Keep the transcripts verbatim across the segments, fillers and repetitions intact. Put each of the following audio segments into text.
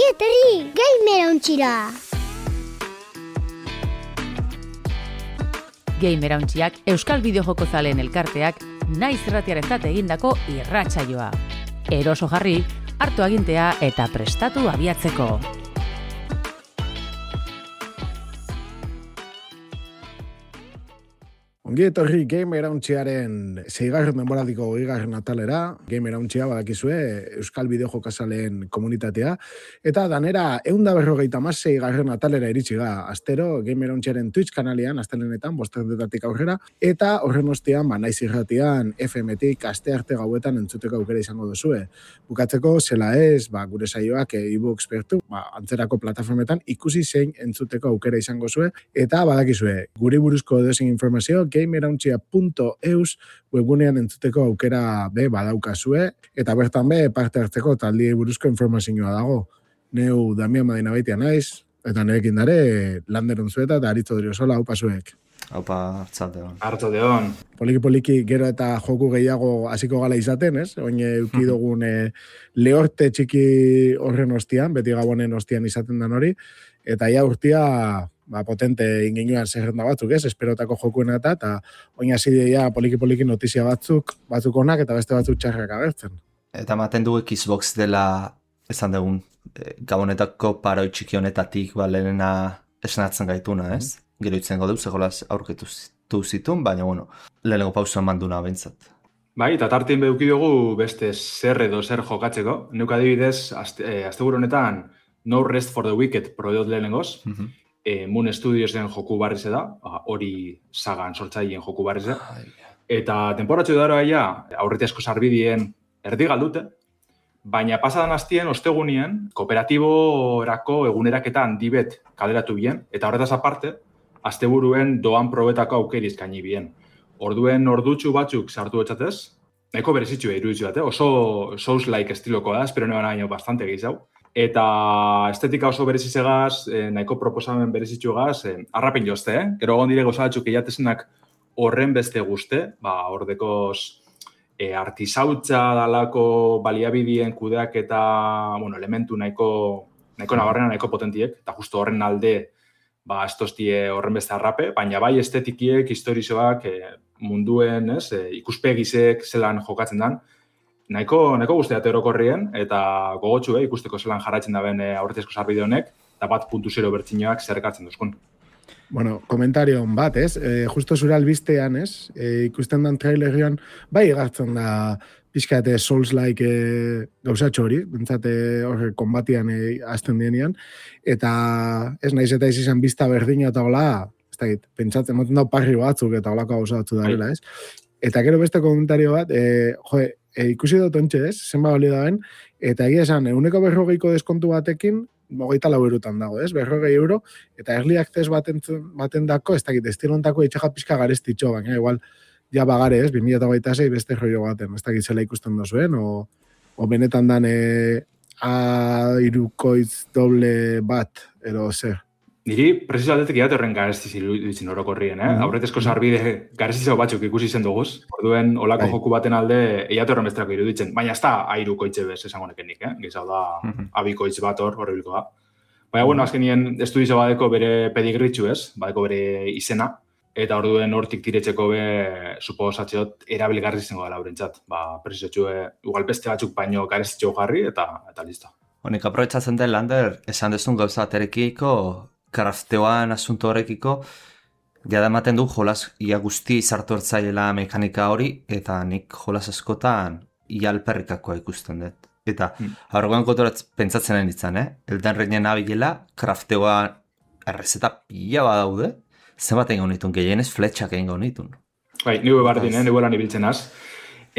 Ongi etorri, Gamer Ontxira! Gamer Ontxiak Euskal Bideojoko zaleen elkarteak naiz irratiarentzat egindako irratsaioa. Eroso jarri, hartu agintea eta prestatu abiatzeko. Ongi etorri Gamer Ontxiaren seigarren denboraldiko hogeigarren atalera. Gamer Ontxia badakizue Euskal Bideojokazaleen komunitatea. Eta danera ehun eta berrogeita hamasei garren atalera iritsi ga. Astero Gamer Ontxiaren Twitch kanalean, astelenetan, bosterdetatik aurrera. Eta horren ostean, ba, naiz irratian, F M-tik aste arte gauetan entzuteko aukera izango duzue. Bukatzeko, zela ez, ba, gure saioak e-books bertu, ba, antzerako plataformetan ikusi zein entzuteko aukera izango zue. Eta badakizue, guri buruzko edozein informazio, gamerontxia punto eus webgunean entzuteko aukera be badaukazue, eta bertan be parte hartzeko taldiei buruzko informazioa dago. Neu Damian Madina Baitia naiz, eta nerekin dare Lander Unzueta eta Aritzo Driosola, haupa zuek. Haupa, hartzateon. Hartzateon. Poliki-poliki gero eta joku gehiago hasiko gala izaten, ez? Oin euki dugun e, lehorte txiki horren ostian, beti gabonen ostian izaten dan hori, eta ja urtia ba, potente ingenuan zerrenda batzuk, ez? Esperotako jokuena eta, eta oin hasi ja poliki-poliki notizia batzuk, batzuk onak eta beste batzuk txarrak agertzen. Eta ematen dugu Xbox dela, esan dugun, gabonetako paroi txiki honetatik, ba, lehenena esnatzen gaituna, ez? Mm. Gero itzengo duz, egolaz aurketu zitun, baina, bueno, lehenengo pausa manduna bentsat. Bai, eta tartien behuki dugu beste zer edo zer jokatzeko. Neuk adibidez, azte, eh, azte honetan, No Rest for the Wicked proiot lehenengoz, mm -hmm. eh, Moon Studiosen joku barrize da, hori sagan sortzaileen joku barrize. Eta temporatxo daroa ja, aurretiazko sarbidien erdi galdute, baina pasadan hastien, ostegunien, kooperatiborako eguneraketan dibet kaleratu bien, eta horretaz aparte, asteburuen doan probetako aukeriz kaini bien. Orduen ordutxu batzuk sartu etxatez, nahiko berezitxu iruditzu bat, eh? Oso Souls-like estilokoa da, espero neban baino bastante gehiago. Eta estetika oso berezizegaz, eh, nahiko proposamen berezitxugaz, eh, arrapen jozte, eh? Gero gondire gozabatxuk eiatezenak horren beste guzte, ba, ordekoz eh, artisautza dalako baliabidien kudeak eta, bueno, elementu nahiko, nahiko nabarrena, nahiko potentiek, eta justo horren alde, ba, estostie horren beste arrape, baina bai estetikiek, historizoak, eh, munduen, ez, eh, ikuspegizek zelan jokatzen dan, nahiko, nahiko guztiat erokorrien, eta gogotxu, eh, ikusteko zelan jarraitzen daben eh, aurretiazko sarbide honek, eta bat puntu zero bertxinoak zerrekatzen duzkun. Bueno, komentario bat, ez? E, justo zure albistean, ez? E, ikusten dan trailerian, bai egartzen da pixkate Souls-like e, gauzatxo hori, bentsate horre konbatian e, azten dienean, eta ez naiz eta izan bizta berdina eta hola, ez da git, pentsatzen moten dau parri batzuk eta holako gauzatzu darela, ez? Eta gero beste komentario bat, e, jo, e, ikusi dut ontxe, ez? Zenba bali daben, eta egia esan, eguneko berrogeiko deskontu batekin, mogeita lau eurotan dago, ez? Berrogei euro, eta early access baten, baten dako, ez dakit, estilontako itxaga pixka garestitxo, baina igual, ja bagare, ez? bi mila hogeita sei beste rollo baten, ez dakit zela ikusten dozuen, o, o benetan dan e, a irukoitz doble bat, ero zer. Niri, presizo aldetik iat horren garestiz iruditzen orokorrien, eh? Mm-hmm. Aurretezko sarbide garestizau batzuk ikusi zen duguz, orduen olako Hai. Joku baten alde eiat horren besterako iruditzen, baina ez da airukoitze bez esango nekenik, eh? Gizau da mm-hmm. abikoitz bat hor, horrebilko da. Baina, bueno, azkenien estudizo badeko bere pedigritxu ez, badeko bere izena, eta orduen hortik tiretzeko be, suposatzeot, erabilgarri zengo dela horrentzat. Ba, presizotxue, igual beste batzuk baino garestitxo jarri, eta, eta listo. Honik, aprobetsatzen den, Lander, esan dezun gauza aterekiko, krafteoan asunto horrekiko, jada ematen du jolas ia guzti izartu ertzaiela mekanika hori, eta nik jolas askotan ia alperrikakoa ikusten dut. Eta hmm. aurregoan kontoratz pentsatzen den ditzan, eh? Elden Ringen abilela, krafteoan errezeta pila badaude, zenbat egin honitun, gehienez fletxak egin honitun. Bai, nire bardin, eh? Nire lan ibiltzen az.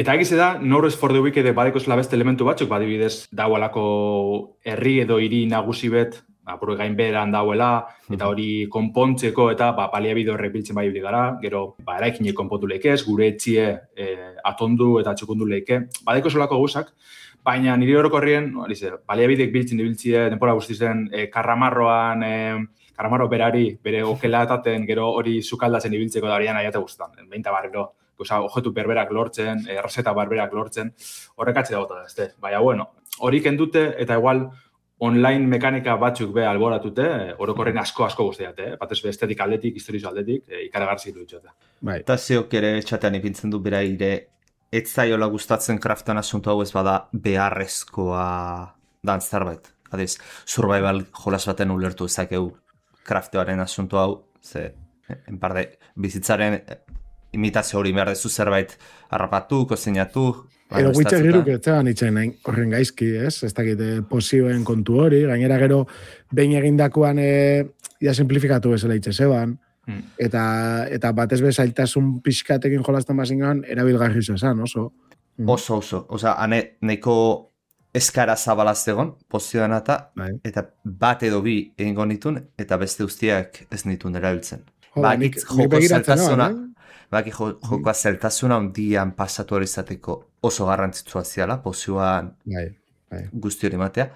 Eta egize da, No Rest for the Wicked badekozela beste elementu batzuk, badibidez, daualako herri edo hiri nagusi bet, apuru gain beran dauela, eta hori konpontzeko eta ba, baliabide horrek biltzen bai gara, gero ba, eraikinek konpontu leikez, gure etxie e, atondu eta txukundu leike. Badeko solako guzak, baina niri orokorrien, baliabidek biltzen dibiltzie, denpora guztizen, e, karramarroan, e, karramarro berari, bere okelataten, gero hori sukaldatzen ibiltzeko da horian aiate guztetan. Beinta barrero, objetu berberak lortzen, errezeta berberak lortzen, horrekatze dago da, ezte. Baina, bueno, hori kendute eta igual online mekanika batzuk be alboratute, orokorren asko-asko guztiate, eh? Batez be estetik aldetik, historizo aldetik, e, ikaragarzi du itxote. Bai. Eta zeok ere txatean ipintzen du bera ire, ez zaiola gustatzen kraftan asunto hau ez bada beharrezkoa dan zerbait. Adiz, survival jolas baten ulertu ezakeu krafteoaren asunto hau, ze, en parte, bizitzaren imitazio hori behar dezu zerbait harrapatu, kozinatu. Edo guitza giruk etxean itxain horren gaizki, ez? Ez dakit posioen kontu hori, gainera gero behin egindakoan e, ja simplifikatu bezala itxezeban, mm. eta, eta batez bezailtasun pixkatekin jolazten bazingan, erabilgarri esan, oso. Mm. Oso, oso. Osa, ane, neko eskara zabalaz egon, pozioan eta, bai. Eta bat edo bi egingo nitun, eta beste guztiak ez nitun erabiltzen. Jo, ba, nik, nik begiratzen noan, eh? Baki jo, jokoa zeltasuna ondian pasatu hori izateko oso garrantzitsua ziala, pozioan bai, bai. Guzti hori matea.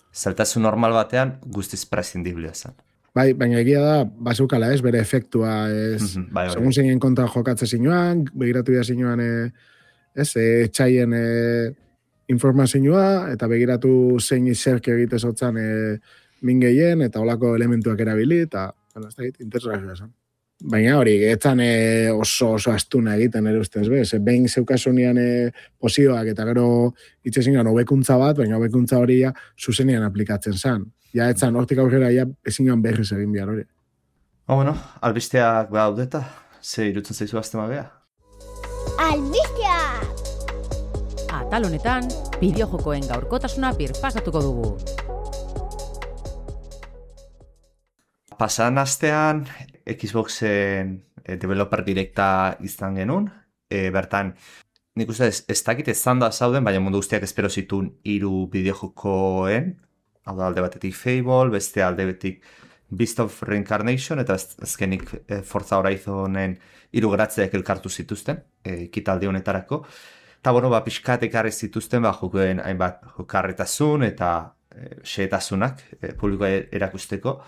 Zeltasun normal batean guztiz prescindiblea zen. Bai, baina egia da, bazukala ez, bere efektua ez, mm-hmm, bai, segun zeinen kontra jokatze zinuan, begiratu da zinuan, e, ez, e, txaien e, informazioa, eta begiratu zein izerke egite zotzan e, mingeien, eta olako elementuak erabili, eta, bueno, ez da egit, interesgarria zen. Baina hori, etzan e, oso oso astuna egiten ere ustez bez. Behin zeukasunian e, posioak eta gero itxezingan hobekuntza bat, baina hobekuntza hori ja zuzenian aplikatzen zen. Ja etzan hortik aurrera ja ezingan berriz egin behar hori. Oh, bueno, albisteak baudeta, ze irutzen zaizu aztema beha? Albisteak! Atal honetan, bideojokoen gaurkotasuna birpasatuko dugu. Pasan astean, Xboxen e, developer direkta izan genuen, e, bertan, nik uste ez, ez dakit ez zanda zauden, baina mundu guztiak espero zituen hiru bideojokoen, hau da alde batetik Fable, beste alde batetik Beast of Reincarnation, eta azkenik e, Forza Horizonen hiru geratzeak elkartu zituzten, e, ekitaldi honetarako. Eta, bueno, ba, pixkat ekarri zituzten, ba, jokoen hainbat jokarretasun eta e, xehetasunak e, publikoa erakusteko.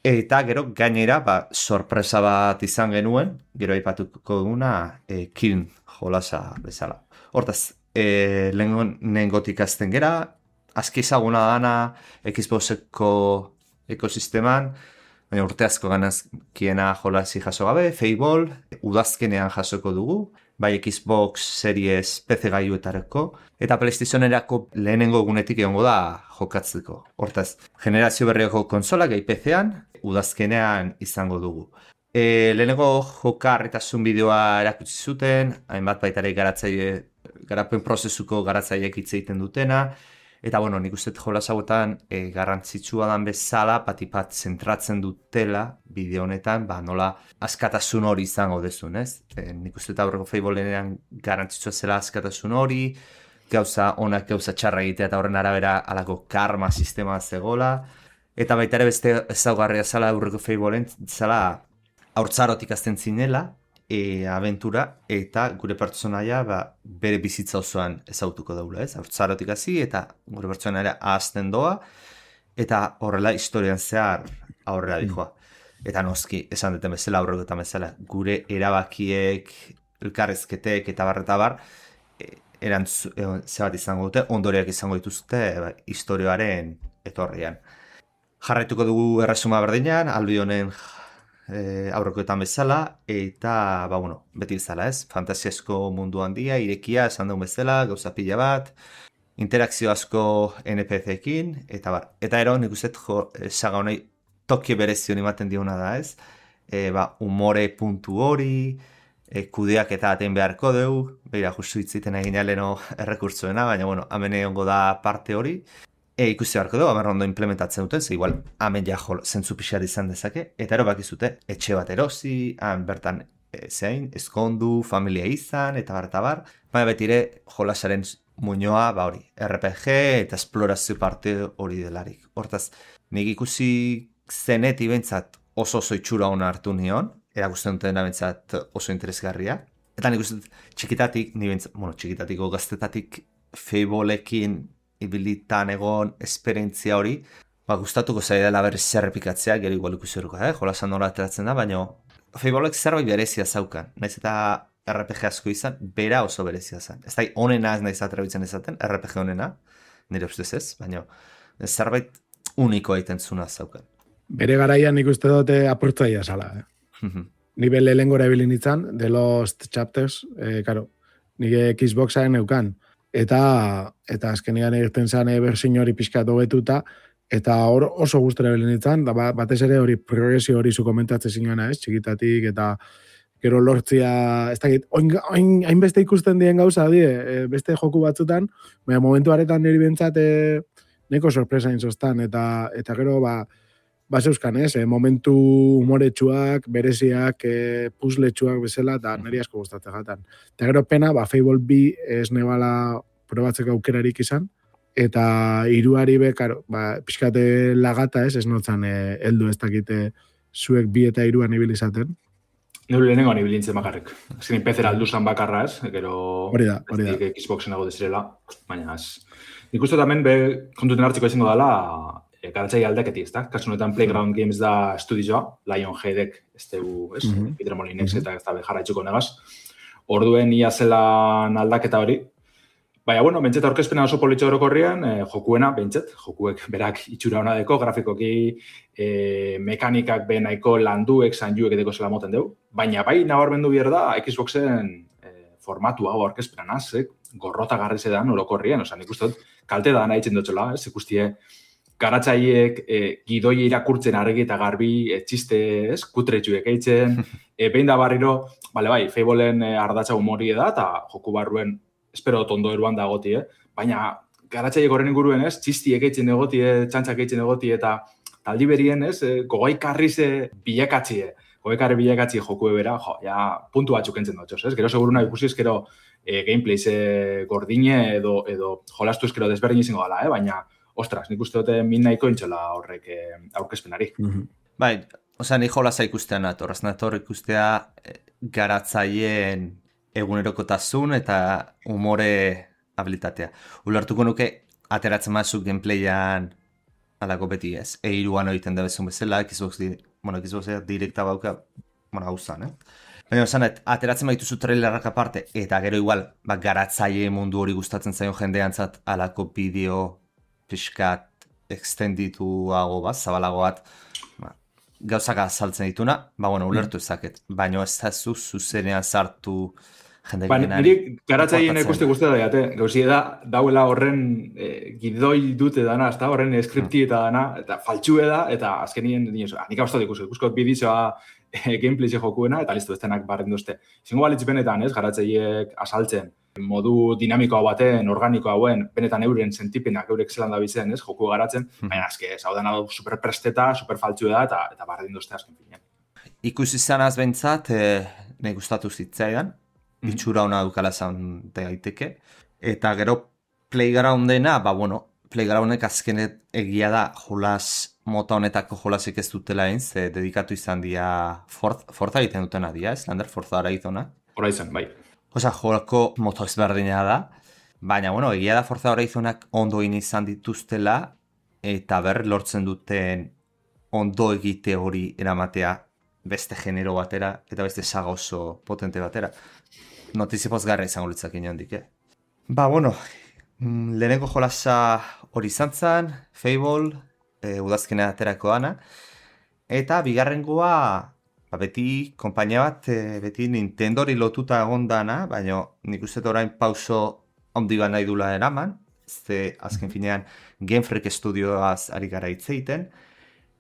Eta gero gainera, ba, sorpresa bat izan genuen, gero aipatuko duguna, e, Kiln jolasa bezala. Hortaz, e, lehengotik azten gera, azki ezaguna dana Xboxeko ekosisteman, baina urte asko ganazkiena jolasi jaso gabe, Fable, udazkenean jasoko dugu, bai Xbox Series P C gailuetarako, eta PlayStationerako lehenengo egunetik egongo da jokatzeko. Hortaz, generazio berriako konsolak gai P C-an, udazkenean izango dugu. E, lehenengo jokarretasun bideoa erakutsi zuten, hainbat baitare garatzaile, garapen prozesuko garatzaileek hitz egiten dutena, eta bueno, nik uste jolas hauetan e, garrantzitsua dan bezala, patipat zentratzen dutela bideo honetan, ba, nola askatasun hori izango dezun, ez? E, nik uste eta aurreko Fablenean garrantzitsua zela askatasun hori, gauza onak gauza txarra egitea eta horren arabera alako karma sistema zegola, eta baita ere beste ezaugarria zala aurreko Fableen zala haurtzarotik azten zinela, e, aventura, eta gure pertsonaia ba, bere bizitza osoan ezautuko daula, ez? Haurtzarotik hasi eta gure pertsonaia ahazten doa, eta horrela historian zehar aurrera dijoa. Eta noski, esan duten bezala, aurreko eta bezala, gure erabakiek, elkarrezketek eta bar eta bar, e, erantz, e, zebat izango dute, ondoriak izango dituzte ba, historioaren etorrian. Jarraituko dugu erresuma berdinean, albi honen e, aurrekoetan bezala, eta, ba, bueno, beti bezala, ez? Fantasiasko mundu handia, irekia, esan dugun bezala, gauza pila bat, interakzio asko N P C-ekin, eta bar. Eta ero, nik uste, jo, saga honei toki berezion ematen diona da, ez? E, ba, umore puntu hori, e, kudeak eta aten beharko dugu, beira, justu hitziten egin aleno errekurtzuena, baina, bueno, hemen egongo da parte hori, E, ikusi beharko dugu, amer ondo implementatzen duten, ze igual, hemen ja jol, zentzu pixar izan dezake, eta ero bakizute, etxe bat erosi, han bertan e, zein, eskondu, familia izan, eta bar, eta bar, baina betire jolasaren muñoa, ba hori, R P G eta esplorazio parte hori delarik. Hortaz, nik ikusi zeneti bentsat oso oso itxura hona hartu nion, erakusten duten bentsat oso interesgarria, eta nik uste txikitatik, ni bentsat, bueno, txikitatiko gaztetatik Fableekin ibilitan egon esperientzia hori, ba, gustatuko zaidala berriz zerrepikatzea, gero igual ikusi horko, eh? Jolasan nola ateratzen da, baina Fableek zerbait berezia zaukan, naiz eta R P G asko izan, bera oso berezia zen. Ez da, onena ez naiz aterabitzen ezaten, R P G onena, nire ustez ez, baina zerbait uniko egiten zuna zauken. Bere garaian nik uste dute apurtzaia zala. Eh? Nibe lehengo erabili nintzen, The Lost Chapters, eh, karo, nire Xboxaren eukan. Eta, eta azkenean egiten zen bersin hori pixkat hobetuta, eta hor oso gustora erabili nintzen, da batez ere hori progresio hori zu komentatzen zinena, ez, txikitatik, eta gero lortzia, ez dakit, hainbeste ikusten dien gauza, die, beste joku batzutan, baina momentu aretan niri bentsat e, neko sorpresa inzostan, eta, eta gero, ba, ba zeuskan, ez, e, momentu humoretsuak, bereziak, e, puzletsuak bezala, eta niri asko gustatzen jatan. Eta gero pena, ba, Fable bi ez nebala probatzeko aukerarik izan, eta hiruari be, karo, ba, pixkate lagata ez, ez notzan e, heldu ez dakite zuek bi eta hiruan ibil izaten. Neu lehenengo nibilintzen bakarrik. Azkenin pezera alduzan bakarra ez, gero hori da, hori da. Xboxen dago dezirela, baina ez. Nik uste tamen be kontuten hartzeko izango dela e, garatzai aldaketi, ez da? Kasu honetan Playground Games da estudioa, Lionheadek, ez dugu, ez? Mm-hmm. Peter Molinex eta ez da jarraitzuko negaz. Orduen ia zelan aldaketa hori. Baina, bueno, bentseta aurkezpena oso politxo orokorrian, eh, jokuena, bentset, jokuek berak itxura hona deko, grafikoki eh, mekanikak benaiko landuek, zanjuek edeko zela moten dugu. Baina, bai, nabarmendu bier da, Xboxen eh, formatu hau aurkezpena naz, eh, gorrota garri zedan orokorrian, oza, nik uste dut, kalte da nahi dutxola, ez, ikustie, garatzaiek eh, gidoi irakurtzen argi eta garbi, eh, txiste, ez, kutretxuek eitzen, eh, behin da barriro, bale bai, Fableen eh, ardatza humori da, eta joku barruen espero tondo eruan da goti, eh? Baina garatzaiek horren inguruen, ez? Txistiek eitzen egoti, eh? Txantxak eitzen egoti, eta taldi berien, ez? Eh? Gogoikarri ze bilakatzie. Gogoikarri bilakatzie joku ebera, jo, ja, puntu batzuk entzen dutxos, ez? Gero seguruna ikusi ezkero eh, gameplay ze gordine edo, edo jolastu ezkero desberdin izango gala, eh? Baina, ostras, nik uste dute min nahiko intxola horrek eh, aurkezpenari. Mm-hmm. Bai, osea, ni jolasa ikustea nator, nator ikustea eh, garatzaien egunerokotasun eta umore habilitatea. Ulertuko nuke, ateratzen mazu gameplayan alako beti ez. Eiruan egiten da bezun bezala, Xbox, di, bueno, Xbox direkta bauka, bueno, hau zan, eh? Baina, zanet, ateratzen baituzu trailerrak aparte, eta gero igual, ba, garatzaile mundu hori gustatzen zaion jendeantzat alako bideo pixkat extendituago bat, zabalago bat, ba, gauzaka saltzen dituna, ba, bueno, ulertu ezaket. Baina ez da zu zuzenean sartu jende ba, genari. Niri garatzaien ikuste guztia da, jate. Gauzi da, dauela horren e, gidoi dute dana, ez da, horren skripti eta dana, eta faltxue da, eta azkenien, nik hau ez da ikusi, ikuskot bidizoa e, gameplay jokuena, eta listo, ez denak barren duzte. Zingo balitz benetan, ez, garatzaiek asaltzen, modu dinamikoa baten, organiko hauen, benetan euren sentipenak, eurek zelan da bizen, ez, joku garatzen, baina azke, ez hau dena superpresteta, superfaltxue da, eta, eta barren duzte azken finean. Ikusi zanaz bentsat, e, nahi gustatu zitzaidan, itxura hona dukala zaun daiteke. Eta gero Playgroundena, ba bueno, Playgroundek azkenet egia da jolas mota honetako jolasik ez dutela egin, ze dedikatu izan dia Forza egiten dutena dia, ez? Lander Forza ara izona. Hora izan, bai. Osa, jolako moto ezberdina da, baina bueno, egia da Forza hora izonak ondo izan dituztela, eta ber lortzen duten ondo egite hori eramatea beste genero batera, eta beste saga oso potente batera. Notizia pozgarra izango litzak inondik, eh? Ba, bueno, lehenengo jolasa hori izan zen, Fable, e, udazkena aterako dana, eta bigarrengoa, ba, beti konpainia bat, e, beti Nintendori lotuta egon dana, baina nik uste orain pauso handi bat nahi dula eraman, ze azken finean Game Freak Studioaz ari gara hitz egiten,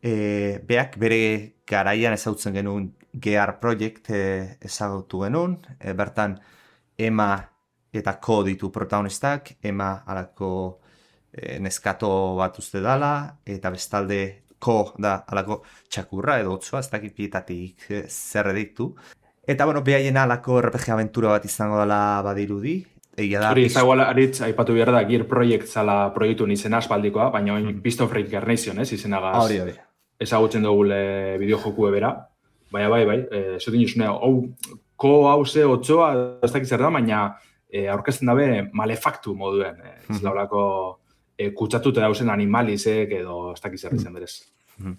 e, beak bere garaian ezagutzen genuen G R Project e, ezagutu genuen, e, bertan Emma eta Ko ditu protagonistak, Emma alako e, neskato bat uste dala, eta bestalde Ko da alako txakurra edo otzua, ez dakit pietatik e, zer editu. Eta, bueno, behaien alako R P G aventura bat izango dela badirudi. Egia da... Hori, ez dagoela aritz, aipatu behar da, Gear Project zala proiektu nizena aspaldikoa, baina oin mm. Beast of Reincarnation, ez, izenagaz. Hori, hori. Ezagutzen dugule bideojoku ebera. Baina, bai, bai, e, zutin juzunea, hau, ko hau ze otzoa, ez dakit zer da, baina e, aurkezten dabe malefaktu moduen. E, ez mm. laurako e, kutsatute dauzen animalizek edo ez dakit zer izan berez. Mm.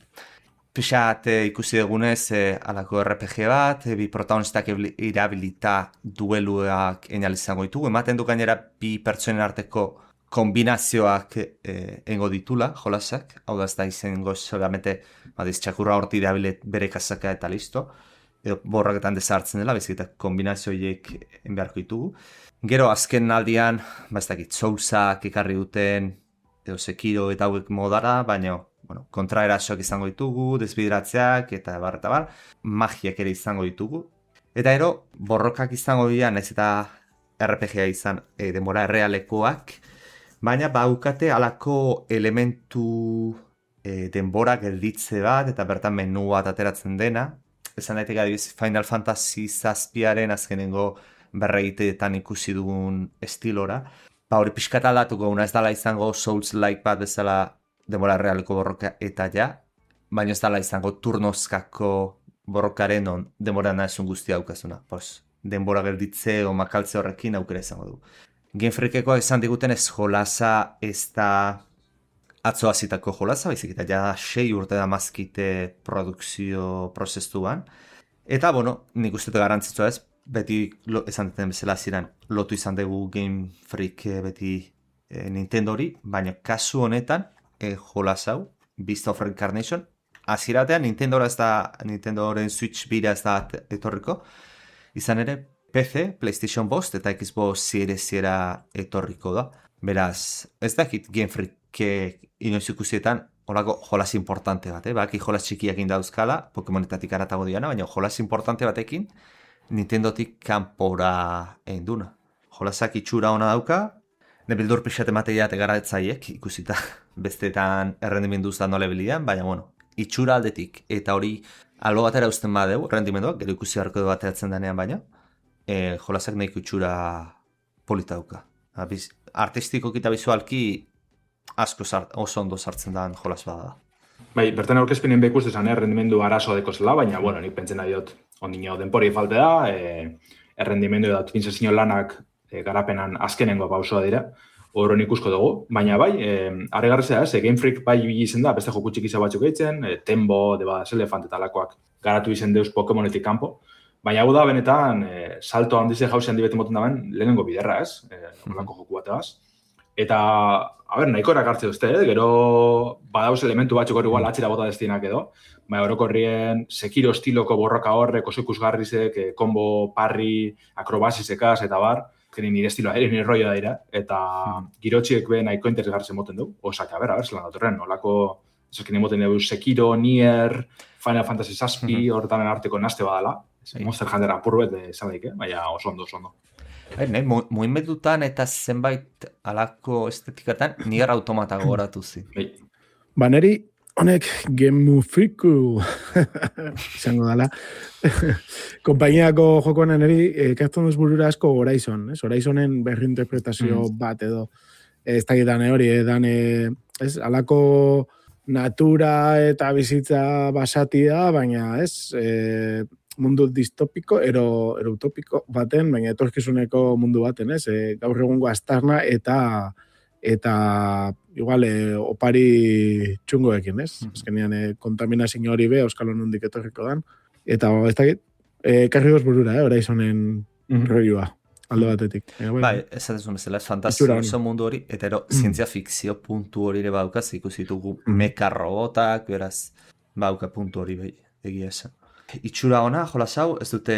Pixat e, ikusi dugunez, e, alako R P G bat, e, bi protagonistak irabilita dueluak enal izango ditugu. Ematen du gainera bi pertsonen arteko kombinazioak eh, engo ditula, jolasak, hau da ez da izango solamente badiz txakurra horti dabilet bere kasaka eta listo, edo borraketan desartzen dela, bezik eta kombinazioiek enbeharko ditugu. Gero azken aldian, ba ez dakit, Soulsak ekarri duten, edo Sekiro eta hauek modara, baina bueno, kontraerasoak izango ditugu, desbideratzeak eta bar eta bar, magiak ere izango ditugu. Eta ero, borrokak izango dira, nahiz eta R P G-a izan e, denbora errealekoak, baina baukate halako elementu e, denbora gelditze bat, eta bertan menu bat ateratzen dena. Esan daiteke adibidez Final Fantasy zazpiaren azkenengo berregiteetan ikusi dugun estilora. Ba hori pixkat aldatuko una ez dala izango Souls-like bat bezala denbora realeko borroka eta ja, baina ez dala izango turnozkako borrokaren on denbora nahezun guztia daukazuna. Pues, denbora gelditze o makaltze horrekin aukera izango du. Game Freakeko esan diguten ez jolasa ez da atzo hasitako jolasa, baizik eta ja sei urte da mazkite produkzio prozestuan. Eta, bueno, nik uste garrantzitsua ez, beti lo, esan duten bezala ziren, lotu izan dugu Game Freak beti e, Nintendori, baina kasu honetan, e, jolasau, Beast of Reincarnation, aziratean Nintendora ez da, Nintendoren Switch bira ez da etorriko, izan ere, P C, PlayStation bost eta Xbox Series era etorriko da. Beraz, ez dakit Game Freak inoiz ikusietan holako jolas importante bat, eh? Baki jolas txikiak indauzkala, Pokemonetatik aratago diana, baina jolas importante batekin Nintendotik kanpora einduna. Jolasak itxura ona dauka, nebildur pixate mateia tegaratzaiek ikusita bestetan errendimenduz da nola bilian, baina bueno, itxura aldetik eta hori albo batera uzten badeu, rendimenduak, gero ikusi harko du bateratzen denean baina, e, jolasak nahiko itxura polita dauka. Abiz, artistikoki eta bizualki asko zart, oso ondo sartzen da jolas bada da. Bai, bertan aurkezpenen bekuz esan errendimendu arazo deko zela, baina, bueno, nik pentsen nahi dut ondino denpori falte da, e, errendimendu da optimizazio lanak e, garapenan azkenengo pausoa dira, horren ikusko dugu, baina bai, e, arregarrizea ez, e, Game Freak bai izen da, beste joku txikiza batzuk eitzen, e, Tembo, Debas Elefant eta lakoak garatu izen deuz Pokemonetik kanpo, baina hau da benetan e, salto handize jauzi handi beti moten daben lehenengo biderra ez, e, horrelako joku bateaz. Eta, a ber, nahiko erakartze duzte, eh? Gero badauz elementu batzuk hori igual atxera bota destinak edo, baina orokorrien Sekiro estiloko borroka horrek, oso ikusgarrizek, eh, kombo, parri, akrobasisekaz eta bar, geni nire estiloa, ere nire roioa dira, eta girotxiek be nahiko interesgartzen moten du, osak, a ber, a ber, zelan datorren, nolako, esakin moten dugu Sekiro, Nier, Final Fantasy zazpi, horretanen arteko naste badala, Monster Hunter apurruet esan daik, eh? Baina oso ondo, oso ondo. Ne, muinmedutan eta zenbait alako estetikatan Nier Automata goratu zi. Ba, neri honek Game Freaku izango dala. Konpainiako jokoan neri ekartzen duz burura asko Horizon. Ez? Horizonen berrinterpretazio mm. bat edo ez da gitan hori, edan ez, alako natura eta bizitza basatia, baina ez... E, mundu distopiko, ero, ero utopiko baten, baina etorkizuneko mundu baten, ez? E, gaur egungo aztarna eta eta igual e, opari txungoekin, ez? Mm-hmm. Azkenean e, kontaminazio hori be, Euskal Honundik etorriko dan. Eta ez dakit, e, karri goz burura, eh? Horizonen mm-hmm. roioa, aldo batetik. E, bai, bai ez ez bezala, ez fantazioso mundu hori, eta ero, mm. zientzia fikzio puntu hori ere baukaz, ikusitugu mm. meka robotak, beraz, bauka puntu hori bai, egia esan. Itxura ona, jolas hau, ez dute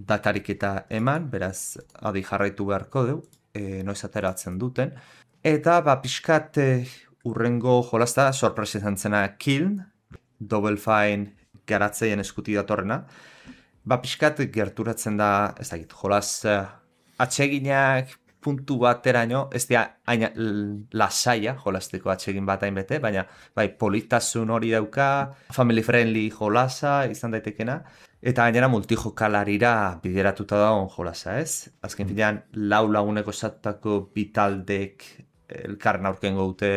datarik eta eman, beraz, adi jarraitu beharko deu, e, noiz ateratzen duten. Eta, ba, pixkat e, urrengo jolazta, sorpresa izan zena Kiln, Double Fine garatzeien eskuti datorrena. Ba, pixkat gerturatzen da, ez dakit, jolas atseginak puntu bateraino, ez dira aina lasaia jolasteko atsegin bat hainbete, baina bai, politasun hori dauka, family friendly jolasa izan daitekena, eta gainera multijokalarira bideratuta dagoen jolasa, ez? Azken finean, lau laguneko esatutako bitaldek elkarren aurkengo dute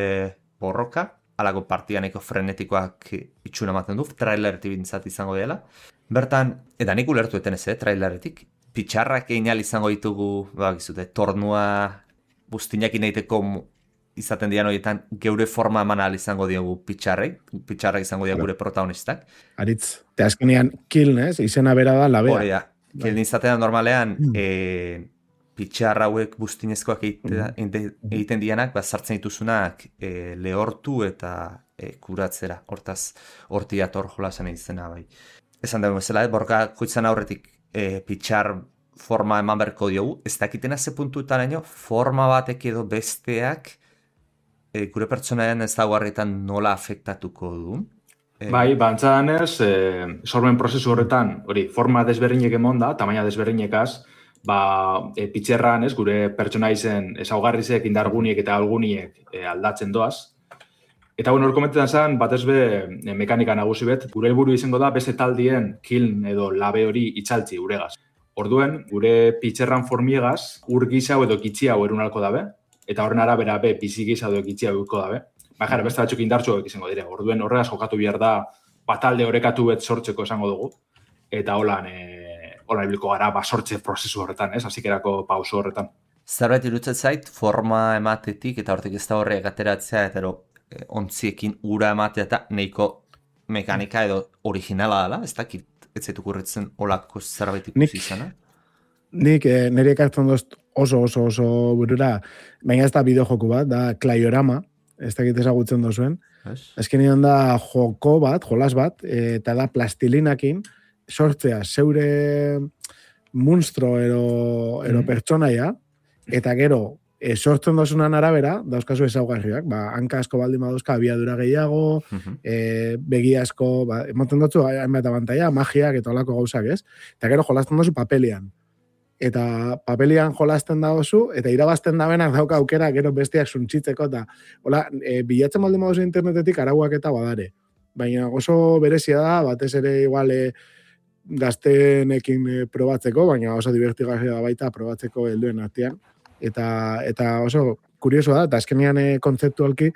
borroka, alako partianeko frenetikoak itxuna ematen du, traileretik bintzat izango dela. Bertan, eta nik ulertu eten ez, eh, traileretik, pitxarrak egin izango ditugu, ba, gizute, tornua bustinak inaiteko izaten dian horietan geure forma eman ahal izango diogu pitxarrek, pitxarrak izango diogu gure protagonistak. Aritz, te azkenean Kiln, ez? Izena bera da labea. Hori da, Kiln izatean normalean mm. e, pitxar hauek bustinezkoak egite, egiten dianak, ba, sartzen dituzunak e, lehortu eta e, kuratzera. Hortaz, horti ator jolasan izena bai. Esan dugu bezala, borka koitzan aurretik e, pitxar forma eman berko diogu, ez dakitena ze puntuetaraino forma batek edo besteak e, gure pertsonaren ezaugarrietan nola afektatuko du. E, bai, bantzadan ez, e, sormen prozesu horretan, hori, forma desberdinek emon da, tamaina desberdinekaz, ba, e, pitxerran ez, gure pertsonaizen ezaugarrizek, indarguniek eta alguniek e, aldatzen doaz. Eta bueno, hor komentetan zen, batez be e, mekanika nagusi bet, gure helburu izango da beste taldien kiln edo labe hori itxaltzi uregaz. Orduen, gure pitxerran formiegaz, ur gisa edo kitxi hau erunalko dabe, eta horren arabera be, bizi gisa edo kitxi hau dabe. Baina, beste batzuk indartsuak izango dire. Orduen, horregaz jokatu behar da, batalde orekatu bet sortzeko esango dugu. Eta holan, e, holan ibiliko gara, ba, sortze prozesu horretan, ez? Hasikerako pauso horretan. Zerbait irutzen zait, forma ematetik, eta hortik ez da horrek ateratzea, eta ero, e, ontziekin ura ematea eta nahiko mekanika edo originala dela, ez dakit? Ez zaitu kurritzen olako zerbait ikusi izana? Nik eh, nire ekartzen dozt oso oso oso burura, baina ez da bideojoku bat, da Klaiorama, ez dakit ezagutzen dozuen. Yes. Azkenean da joko bat, jolas bat, eta da plastilinakin sortzea zeure monstro ero, ero mm. pertsonaia, eta gero, e, sortzen dozunan arabera, dauzkazu ezaugarriak, ba, hanka asko baldin baduzka, abiadura gehiago, uh-huh. e, begi asko, ba, ematen dutzu, hainbat abantaia, magiak eta olako gauzak, ez? Eta gero jolasten dozu papelian. Eta papelian jolasten da oso, eta irabazten da benak dauka aukera, gero bestiak suntzitzeko, eta hola, e, bilatzen baldin baduzu internetetik arauak eta badare. Baina oso berezia da, batez ere igual e, gaztenekin e, probatzeko, baina oso divertigarria da baita probatzeko helduen artean. Eta, eta oso kurioso da, eta azkenean e, kontzeptualki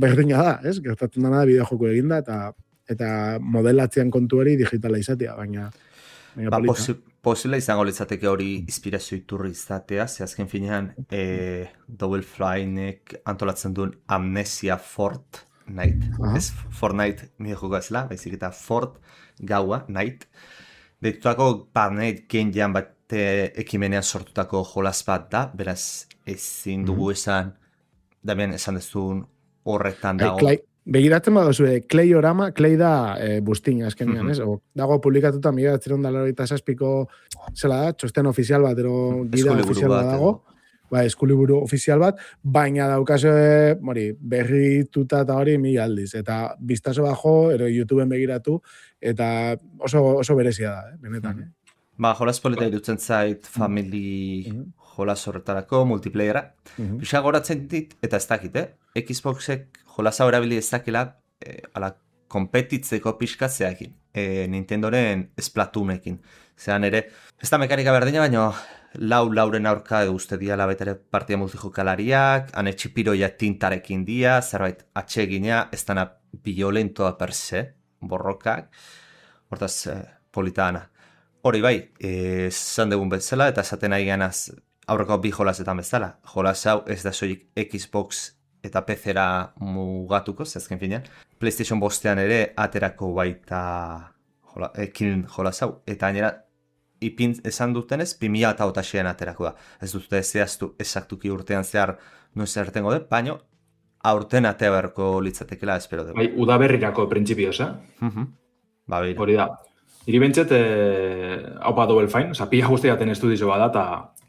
berdina da, ez? Gertatzen dana da bideojoku eginda, eta eta modelatzean kontu hori digitala izatea, baina... baina ba, posi, posibla izango litzateke hori inspirazio iturri izatea, ze azken finean e, Double Flynek antolatzen duen Amnesia Fort Night, uh-huh. ez Fortnite nire joko ezela, baizik eta Fort gaua, Night, deitutako Parnate Game Jam bat ekimenean sortutako jolas bat da, beraz ezin dugu mm-hmm. esan, damien esan dezun horretan dago. Clay, begiratzen badozu, Klaiorama, Clay da e, bustin azkenean, mm-hmm. ez? O, dago publikatuta mila batzireun da laurogeita zazpiko zela da, txosten ofizial bat, ero gida ofizial bat dago, ba, eskuliburu ofizial bat, baina daukazu mori, berrituta eta hori mila aldiz, eta biztazo bajo, ero YouTubeen begiratu, eta oso, oso berezia da, eh? Benetan, mm-hmm. eh? Ba, jolas polita irutzen zait family mm-hmm. jolas horretarako, multiplayera. Mm-hmm. Bisa goratzen dit, eta ez dakit, eh? Xboxek jolasa horabili ez dakila, eh, ala, kompetitzeko pixkatzeakin. Eh, Nintendoren Splatoonekin. Zeran ere, ez da mekanika berdina, baina lau lauren aurka edo uste dia labetere partia multijokalariak, ane txipiroia tintarekin dia, zerbait atsegina, ez dana violentoa per se, borrokak, hortaz eh, politana. Hori bai, esan dugun bezala, eta esaten nahi ganaz aurreko bi jolasetan bezala. Jolas hau ez da soilik Xbox eta P C-era mugatuko, zezken finean. PlayStation bostean ere aterako baita jola, ekin jolas hau. Eta gainera, ipin esan dutenez, bi mila eta hogeita aterako da. Ez dute zehaztu esaktuki urtean zehar noiz ertengo dut, baina aurten atea beharko litzatekela espero dugu. Bai, udaberrirako printzipioz, eh? Uh-huh. Ba, bire. Hori da. Iri bentset, eh, hau pa Double Fine, oza, pila guztiaten estudizo bada,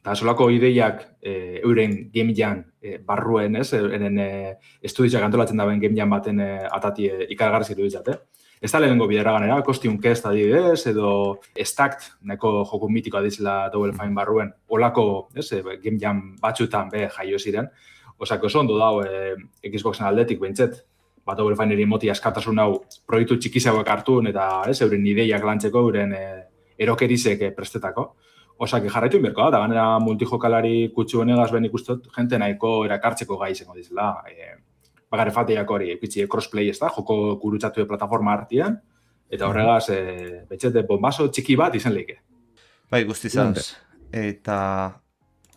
eta solako ideiak eh, euren game jam eh, barruen, ez, eren eh, estudizioak antolatzen daben game jam baten eh, atati eh, ikargarzik duditzat, eh? Ez da lehenengo bidera ganera, Costume Quest adibidez, edo Stacked, neko joku mitikoa dizela Double Fine barruen, olako, ez, eh, game jam batxutan be jaio ziren, osako oso ondo dau eh, Xboxen aldetik bentset, bat Double Fine moti askatasun hau proiektu txikizauak hartun eta ez, euren ideiak lantzeko, euren e, erokerizek e, prestetako. Osak jarraitu inberko da, eta ganera multijokalari kutsu honegaz ben ikustot, jente nahiko erakartzeko gai izango dizela. E, Bagare fateiak hori, epitzi crossplay ez da, joko gurutzatu plataforma hartian, eta horregaz, e, betxete bombazo txiki bat izan leike. Bai, guztizaz. Eta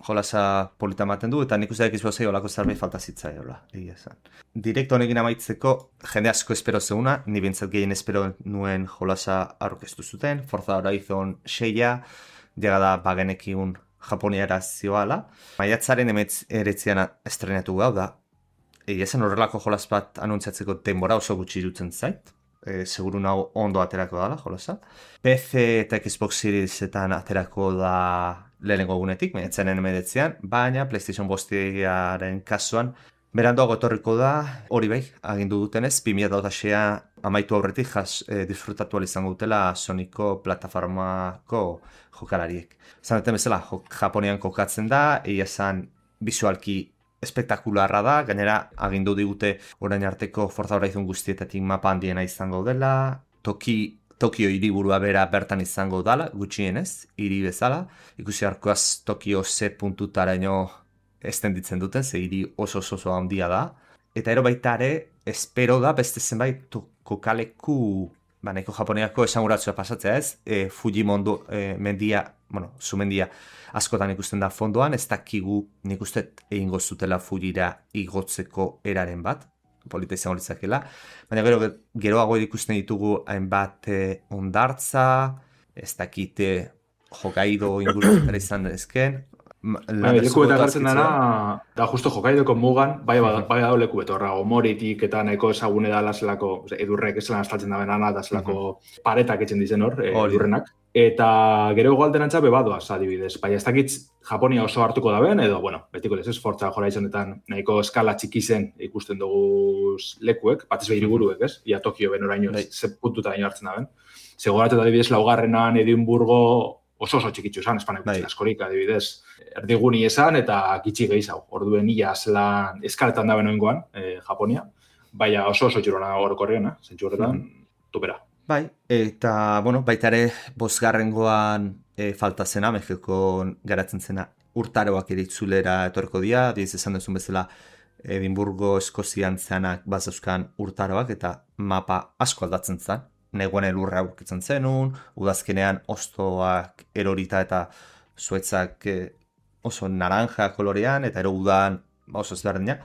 jolasa polita ematen du, eta nik uste Xboxei olako zerbait falta zitzai, hola, egia esan. Direkto honekin amaitzeko, jende asko espero zeuna, ni bintzat gehien espero nuen jolasa aurkeztu zuten, Forza Horizon seia, llega da bagenekiun Japoniara zioala. Maiatzaren emetz eretzian estrenatu gau da. Egia zen horrelako jolas bat anuntziatzeko denbora oso gutxi dutzen zait. E, seguru nago ondo aterako dala jolasa. P C eta Xbox Seriesetan aterako da lehenengo egunetik, maiatzaren emeretzian, baina PlayStation bostiaren kasuan beranduago etorriko da, hori bai, agindu dutenez, bi mila hamaseian amaitu aurretik jas, e, disfrutatu izango dutela Sonyko plataformako jokalariek. Zan duten bezala, Japonian kokatzen da, egia esan visualki espektakularra da, gainera agindu digute orain arteko Forza Horizon guztietatik mapa handiena izango dela, toki Tokio hiriburua bera bertan izango dala, gutxienez, hiri bezala. Ikusi arkoaz Tokio ze puntutaraino estenditzen duten, ze hiri oso oso handia da. Eta ero baita ere, espero da beste zenbait kokaleku, ba, nahiko Japoniako esanguratzua pasatzea ez, e, Fujimondo e, mendia, bueno, zumendia askotan ikusten da fondoan, ez dakigu nik uste egingo zutela Fujira igotzeko eraren bat, polita izango litzakela, baina gero geroago ikusten ditugu hainbat eh, ondartza, ez dakite Hokkaido ingurutara izan dezken. Bai, leku eta gartzen dara, da justo Hokkaidoko mugan, bai bai da leku betorra, Omoritik eta nahiko ezagune da zelako, edurrek ez lan estaltzen da benana, da zelako paretak etxen dizen hor, edurrenak. Eta gero egualderantza bebadoaz, adibidez. Baina ez dakit Japonia oso hartuko da ben, edo, bueno, betiko lez ez, Forza Horizonetan nahiko eskala txikizen ikusten dugu lekuek, batez behir buruek, ez? Ia Tokio ben oraino, ze puntuta daño hartzen da ben. Zegoratu da, adibidez, laugarrenan Edimburgo oso oso txikitzu esan, espanek bai. Askorik, adibidez, erdiguni esan eta gitxi gehiago. Orduen ia zelan eskaletan da benoengoan, eh, Japonia, baina oso oso txurona orokorrean, eh? Zentzu horretan, tupera. Bai, eta, bueno, baita ere, bosgarrengoan e, falta zena, Mexikon garatzen zena, urtaroak eritzulera etorko dira, diz esan duzun bezala, Edimburgo Eskozian zeanak bazauzkan urtaroak, eta mapa asko aldatzen zen, negoen elurra aurkitzen zenun, udazkenean ostoak erorita eta zuetzak e, oso naranja kolorean, eta ero udan oso ezberdina.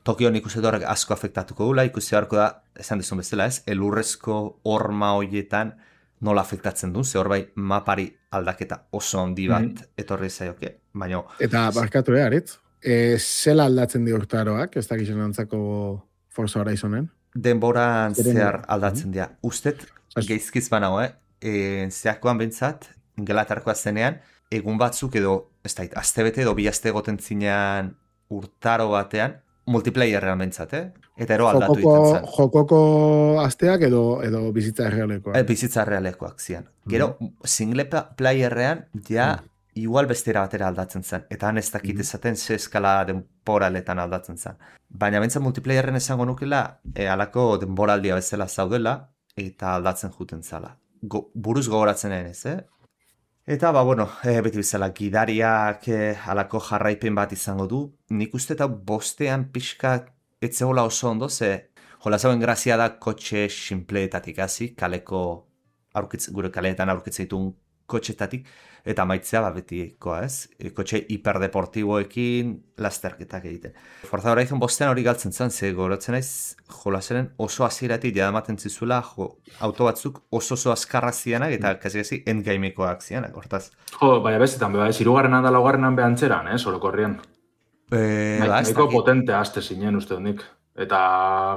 Tokio nik uste horrek asko afektatuko dula, ikusi beharko da, esan dizun bezala ez, elurrezko horma horietan nola afektatzen du, ze hor bai mapari aldaketa oso handi bat mm. etorri zaioke, baina... Eta barkatu eharitz, e, zela aldatzen di urtaroak, ez dakizien antzako Forza Horizonen? Denboran zehar aldatzen dira. Ustet, geizkiz banago, eh? E, zeakoan bentsat, gelatarkoa zenean, egun batzuk edo, ez da, aztebete edo bi azte goten zinean urtaro batean, multiplayerrean bentsat, eh? Eta ero aldatu iten zen. Jokoko asteak edo, edo bizitza errealekoak? E, bizitza errealekoak zian. Gero, mm. single playerrean, ja, mm. igual bestera batera aldatzen zen. Eta han ez dakit esaten ze eskala denboraletan aldatzen zen. Baina bentsat multiplayerren esango nukela, e, alako denboraldia bezala zaudela, eta aldatzen juten zala. Go, buruz gogoratzen ez, eh? Eta, ba, bueno, e, beti bezala, gidariak e, alako jarraipen bat izango du. Nik uste eta bostean pixka etzegola oso ondo, ze jolazauen grazia da kotxe sinpleetatik hasi, kaleko aurkitz, gure kaleetan aurkitzen ditun kotxetatik, eta maitzea ba betikoa, ez? E, kotxe hiperdeportiboekin lasterketak egiten. Forza Horizon bostean hori galtzen zen, ze goratzen naiz jolasaren oso hasieratik jadamaten zizuela jo, auto batzuk oso oso azkarra zianak eta kasi-kasi endgamekoak zianak, hortaz. Jo, baina bestetan, bai, zirugarrenan da laugarrenan behantzeran, eh, sorokorrian. Eh, ba, nahiko potente aste zinen uste honik. Eta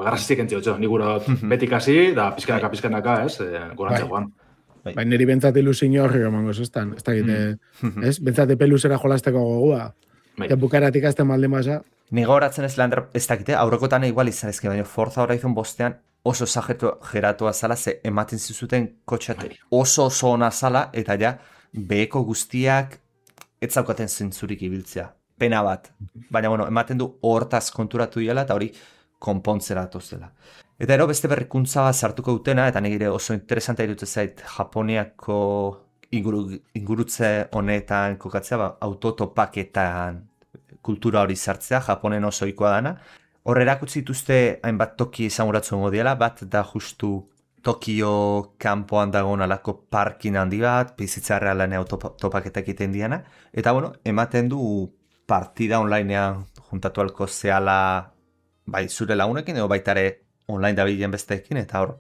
garrasitik entzi otxo, nik gura betik hasi, da pizkanaka, pizkanaka, ez, e, gorantza joan. Bai, bai niri bentsate ilusin horri gomango zuztan, ez da gite, mm. ez? Bentsate peluzera jolasteko gogua. Bai. Eta bukaratik azten malde masa. Nigo horatzen ez Lander, ez dakite, aurrekotan igual izan ezke, baina Forza Horizon bostean oso zagetu geratua zala, ze ematen zizuten kotxat oso oso ona zala, eta ja, beheko guztiak ez zaukaten zentzurik ibiltzea. Pena bat. Baina, bueno, ematen du hortaz konturatu dela, eta hori konpontzera atozela. Eta ero beste berrikuntza bat sartuko dutena, eta nire oso interesanta irutu zait Japoniako inguru, ingurutze honetan kokatzea, ba, autotopaketan kultura hori sartzea, Japonen oso ohikoa dana. Hor erakutsi dituzte hainbat toki esanguratzen modiela, bat da justu Tokio kanpoan dagoen alako parkin handi bat, bizitza realan autotopaketak egiten diana, eta bueno, ematen du partida onlinean juntatu alko zehala bai zure lagunekin, edo baitare online dabilen besteekin, eta hor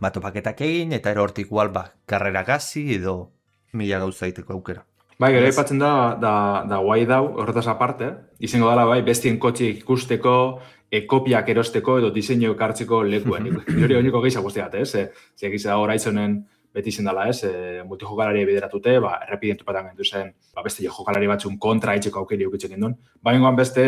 bat topaketak egin, eta ero hortik igual ba, karrera gazi edo mila gauza egiteko aukera. Bai, gero aipatzen da, da, da guai dau, horretaz aparte, izango dela, bai, bestien kotxik ikusteko, e, kopiak erosteko edo diseinu ekartzeko lekuen. Hori honiko gehiago guztiat, ez? E, Zeak izan Horizonen beti izan dela, ez? E, multijokalari bideratute, ba, errepiden topatan gendu zen, ba, beste jokalari batzun kontra itxeko aukeri ukitzen gendun. Baina beste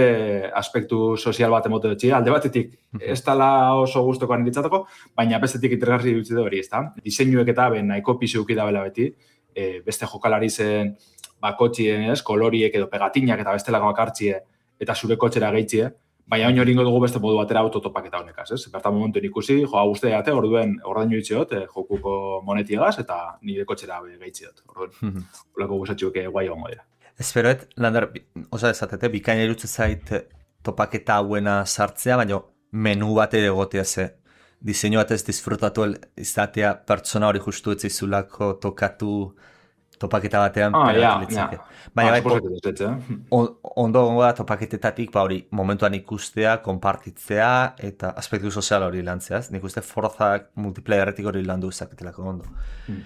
aspektu sozial bat emote dutxi, alde batetik ez dela oso guztokoan ditzatako, baina bestetik interesgarri dutxi hori, ez da? Diseinuek eta ben nahiko pizu ukidabela beti, e, beste jokalari zen ba, kotxien, ez, koloriek edo pegatinak eta bestelako akartzie eta zure kotxera gehitzie, baina oin hori ingo dugu beste modu batera autotopaketa honekaz, ez? Bertan momentu ikusi, joa guzti ate, orduen ordainu itxeot, eh, jokuko monetiegaz eta nire kotxera gehitziot. Orduen, olako guzatxuk guai hongo dira. Esperoet, Lander, osa ezatete, bikaina irutze zait topaketa hauena sartzea, baina menu bat ere egotea ze. Diseinu batez disfrutatu izatea pertsona hori justu etzaizulako tokatu topaketa batean ah, pegatu ja, litzake. Ja. Baina ah, bai, eh? on, ondo gongo da topaketetatik, ba hori, momentuan ikustea, konpartitzea, eta aspektu sozial hori lantzeaz. Nik uste Forzak multiplayerretik hori landu izaketelako ondo. Hmm.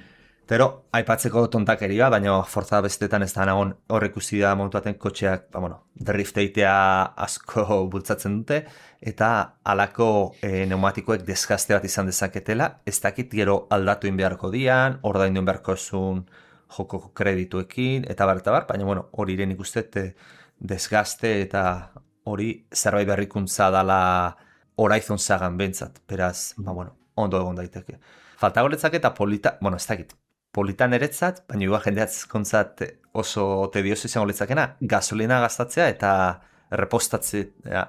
Tero, aipatzeko tontakeria, baina Forza bestetan ez da nagon horrek ikusi da momentu baten kotxeak, ba, bueno, drift eitea asko bultzatzen dute, eta alako e, pneumatikoek desgaste bat izan dezaketela, ez dakit gero aldatu inbeharko dian, ordaindu inbeharko zuen joko kredituekin, eta bar, eta bar, baina, bueno, hori iren ikustet desgaste eta hori zerbait berrikuntza dala Horizon sagan bentsat, beraz, ba, bueno, ondo egon daiteke. Falta goretzak eta polita, bueno, ez dakit, politan eretzat, baina igual jendeatzkontzat oso tedioso izango litzakena, gasolina gastatzea eta errepostatzea,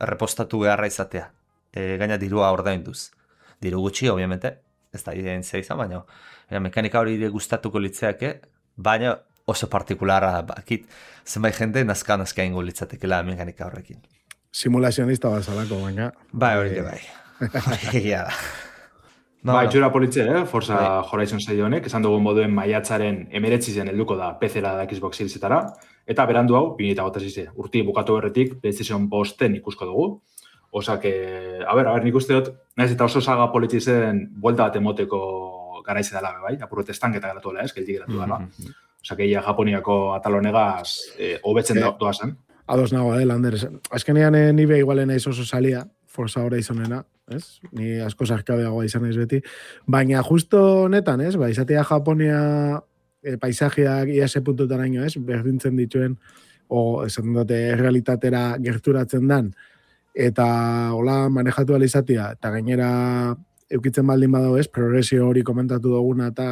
errepostatu beharra izatea. E, gaina dirua ordainduz. Diru gutxi, obviamente, ez da identzia izan, baina e, mekanika hori gustatuko litzeake, baina oso partikulara bakit, zenbait jende nazka-nazka ingo litzatekela mekanika horrekin. Simulazionista bazalako, baina... Bai, hori bai. Egia da. No, ba, itxura politxe, eh? Forza bai. Horizon saio honek, esan dugun moduen maiatzaren emeretzi zen helduko da P C-ra da Xbox Seriesetara, eta berandu hau, bi mila hogeita sei urti bukatu berretik PlayStation bosten ikusko dugu. Osak, a ber, a ber, nik uste dut, nahiz eta oso saga politxe zen buelta bat emoteko garaize dela, bai? Apurret estanketa geratu dela, ez? Geldi geratu dela. Mm-hmm. Osak, egia Japoniako atalonegaz eh, hobetzen eh, doa zen. Ados nago, eh, Lander. Azkenean eh, nibe igualen naiz oso salia, Forza Horizonena, ez? Ni asko sarkabeagoa izan naiz beti. Baina justo honetan, ez? Ba, izatea Japonia e, paisajeak ia ze puntutaraino, ez? Berdintzen dituen, o esan dute realitatera gerturatzen dan, eta hola manejatu ala izatea, eta gainera eukitzen baldin badau, ez? Progresio hori komentatu duguna eta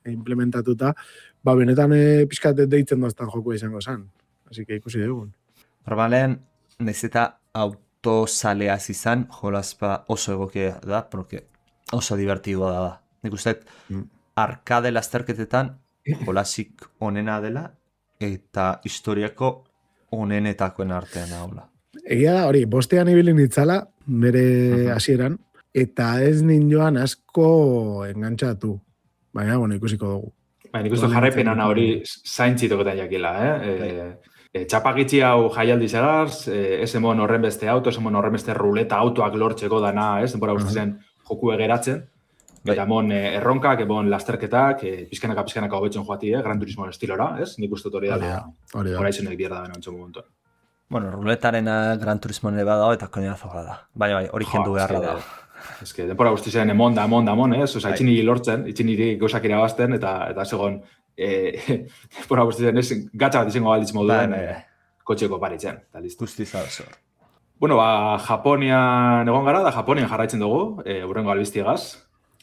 implementatuta, ba, benetan e, pixkat deitzen doztan joku izango zen. Así que ikusi dugun. Normalen, naiz eta autosaleaz izan, jolazpa oso egokia da, porque oso divertidua da da. Nik uste, mm. arkade lasterketetan jolazik onena dela, eta historiako onenetakoen artean haula. Egia da, hori, bostean ibili nitzala, bere uh-huh. hasieran, eta ez ninjoan asko engantxatu. Baina, bueno, ikusiko dugu. Baina, nik uste jarraipenana hori zaintzitoketan jakila, eh? e, e, txapakitzi hau jaialdi zagaz, e, ez emon horren beste auto, ez emon horren beste ruleta autoak lortzeko dana, ez? Denbora uh-huh. guztien joku egeratzen. Eta emon e, erronkak, emon lasterketak, e, pizkanaka pizkanaka hobetzen joati, eh? Gran Turismo estilora, ez? Nik uste hori dala, Horizonek bierda bena ontsu momentu. Bueno, ruletaren Gran Turismo nire badao eta koñazo da. Baina bai, hori kendu beharra da. Ez que, denbora guztien emon da, emon da, emon, ez? Osa, itxin niri lortzen, itxin niri gauzak irabazten, eta, eta segon, e, denbora guztien ez, gatsa bat izango balitz moduen e, kotxeko paritzen. Guztiza oso. Bueno, ba, Japonian egon gara, da Japonian jarraitzen dugu, e, urrengo albiztiegaz.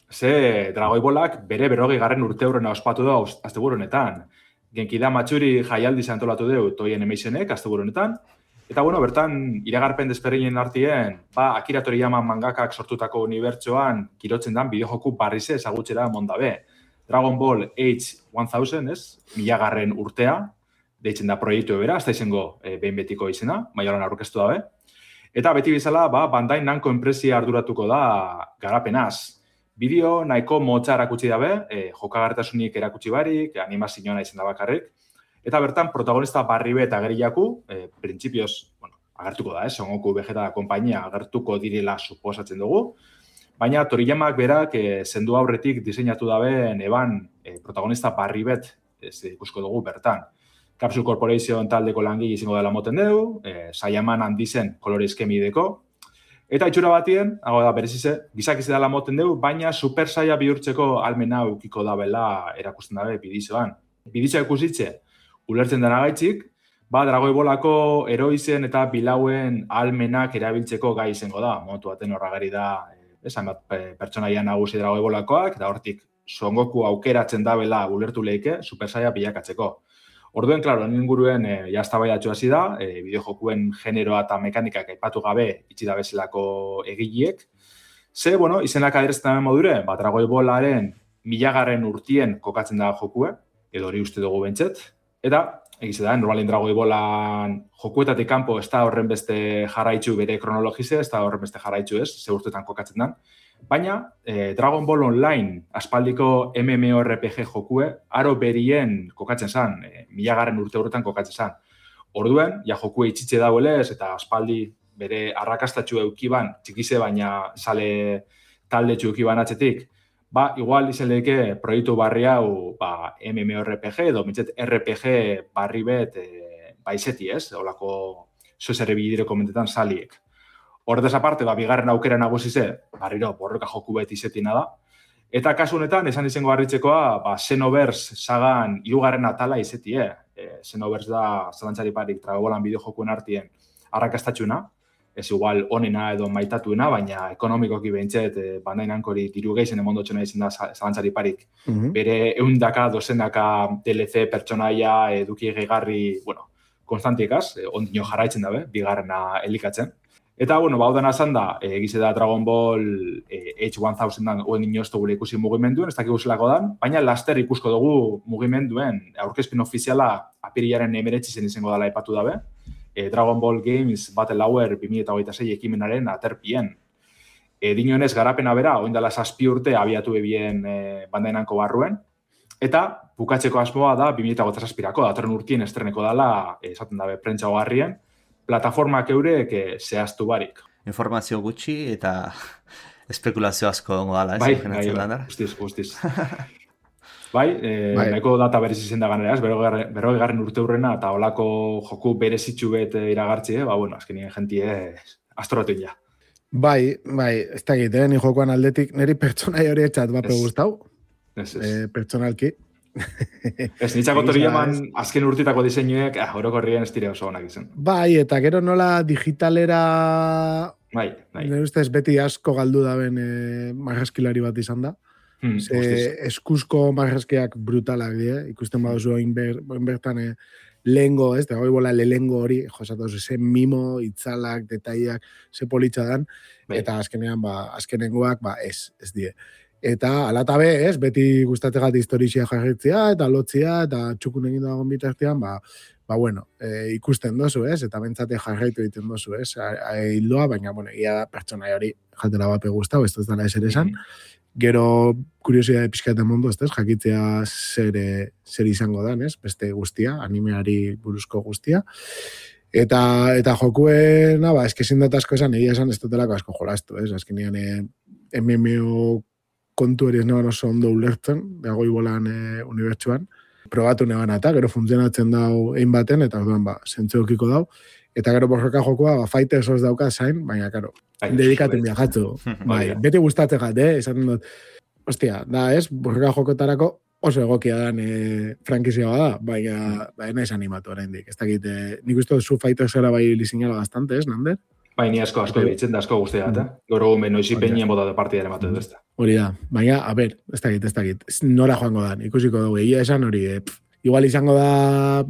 Ze, Dragoibolak bere berrogei garren urte hurrena ospatu da asteburu honetan. Genkida Matsuri jaialdi antolatu deu Toei Animationek asteburu honetan. Eta, bueno, bertan, iragarpen desberdinen artien, ba, Akira Toriyama mangakak sortutako unibertsoan kirotzen dan bideojoku barrize ezagutxera mondabe. Dragon Ball Age one-thousand, ez? Milagarren urtea, deitzen da proiektu ebera, ez da izango e, behin betiko izena, maioran aurkeztu dabe. Eta beti bezala, ba, Bandai Namco enpresia arduratuko da garapenaz. Bideo nahiko motza erakutsi dabe, e, jokagartasunik erakutsi barik, animazioa izan da bakarrik. Eta bertan, protagonista Barribe eta Gerillaku, eh, printzipioz, bueno, agertuko da, eh, Son Goku Vegeta konpainia agertuko direla suposatzen dugu. Baina Toriyamak berak eh, zendu aurretik diseinatu dabe neban eh, protagonista Barribet ez ikusko dugu bertan. Capsule Corporation taldeko langile izango dela moten dugu, e, Saiyaman handizen kolore eskemideko, eta itxura batien, hau da berezize, gizakize dela moten dugu, baina Super Saia bihurtzeko almena ukiko dabela erakusten dabe bidizoan. Bidizoa ikusitze, ulertzen dena gaitzik, ba, Dragoi Bolako eroizen eta bilauen almenak erabiltzeko gai izango da. Momentu baten horragari da, esan bat pertsonaia nagusi Dragoi Bolakoak, da hortik Son Goku aukeratzen dabela ulertu leike Super Saia bilakatzeko. Orduen, klaro, inguruen e, jaztabaidatxo hasi da, e, bideojokuen generoa eta mekanikak aipatu gabe itxi da bezalako egiliek. Ze, bueno, izenak aderezten dabe modure, ba, Dragoi Bolaren milagarren urtien kokatzen da jokue, edo hori uste dugu bentset, eta egize da, normalin Dragoi Bolan jokuetatik kanpo ez da horren beste jarraitzu bere kronologize, ez da horren beste jarraitzu ez, ze urtetan kokatzen da. Baina, eh, Dragon Ball Online, aspaldiko MMORPG jokue, aro berien kokatzen zan, eh, milagarren urte horretan kokatzen zan. Orduen, ja jokue itxitxe dauelez, eta aspaldi bere arrakastatxu eukiban, txikize baina sale taldetxu eukiban atzetik, ba, igual izan lehike proiektu barri hau ba, MMORPG edo mitzet R P G barri bet e, baizeti ez, olako zozer ebidire komentetan saliek. Horretaz aparte, ba, bigarren aukera nagusize, barriro, borroka joku bet izetina da. Eta kasu honetan, esan izango harritzekoa, ba, Xenoverse sagan hirugarren atala izetie. E, Xenoverse da, zalantzari parik, Dragoi Bolan bideojokuen artien arrakastatxuna, ez igual onena edo maitatuena, baina ekonomikoki behintzet, e, bandainankori diru geizen emondotxona izan da zalantzari parik. Mm-hmm. Bere eundaka, dozenaka D L C pertsonaia eduki gehigarri, bueno, konstantikaz, e, ondino jarraitzen dabe, bigarrena elikatzen. Eta, bueno, baudan azan da, egize da Dragon Ball e, H mila oen inoiztu gure ikusi mugimenduen, ez dakik guzelako dan, baina laster ikusko dugu mugimenduen aurkezpen ofiziala apirilaren emeretzi zen izango dela epatu dabe, e, Dragon Ball Games Battle Hour bi mila hogeita sei ekimenaren aterpien. E, Dinionez garapena bera, oin dela zazpi urte abiatu ebien e, bandainanko barruen, eta bukatzeko asmoa da bi mila hogeita zazpirako, datorren urtien estreneko dela, e, esaten dabe prentsa hogarrien, plataformak eurek zehaztu barik. Informazio gutxi eta espekulazio asko ongo dala, ez? Bai, bai, bai, guztiz, guztiz. Bai, eh, bai, nahiko data berez izen da ganera, ez? Berroi garren urte hurrena eta olako joku berezitxu bet iragartzi, ba, bueno, azkenien jentie astoratu ja. Bai, bai, ez da egite, ni jokoan aldetik, niri pertsonai hori etxat bape guztau, ez, ez. Eh, pertsonalki. Ez, nitzako toriaman azken urtitako diseinuek, ah, orokorrien ez dire oso honak izan. Bai, eta gero nola digitalera... Bai, bai. Nire ustez beti asko galdu daben e, marraskilari bat izan da. Hmm, Ze, eskuzko marraskiak brutalak die, ikusten baduzu oinber, oinbertan e, lehengo, ez, Dragoi Bola lehengo hori, josatu ze mimo, itzalak, detaiak, ze politxa dan, bai. Eta azkenean, ba, azkenengoak, ba, ez, ez die. Eta alatabe, ez, beti gustatzegat historizia jarritzea, eta lotzia, eta txukun egin dagoen bitartean, ba, ba bueno, e, ikusten dozu, ez, eta bentsate jarraitu egiten dozu, ez, hildoa, baina, bueno, ia pertsonai hori jatela bape guztau, ez dut dala eser esan. Gero, kuriosidade pixkaten mundu, ez, jakitzea zer, zer izango dan, ez, beste guztia, animeari buruzko guztia. Eta, eta jokuena, ba, eskezin dut asko esan, egia esan ez dutelako asko jolastu, ez, azkenean e, M M O kontu hori ez neban oso ondo ulertzen, Dragoi Bolan e, unibertsuan. Probatu neban eta, gero funtzionatzen dau egin baten, eta orduan, ba, zentzu okiko dau. Eta gero borroka jokoa, ba, Fighters os dauka zain, baina, karo, dedikaten biajatzu. Bai, beti gustatzen gat, eh? Esaten dut, ostia, da, ez, borroka jokotarako oso egokia dan e, frankizia bada, baina, baina ez animatu oraindik. Ez dakit, e, nik uste zu Fighters era bai lizinala bastante, ez, Nander? Bai, ni asko, asko ditzen da asko guztia eta. Goro gumen, noizi penien bota de partidaren bat edo ez da. Hori da, baina, a ber, ez dakit, ez dakit, nora joango da, ikusiko dugu, egia esan hori, e, pff, igual izango da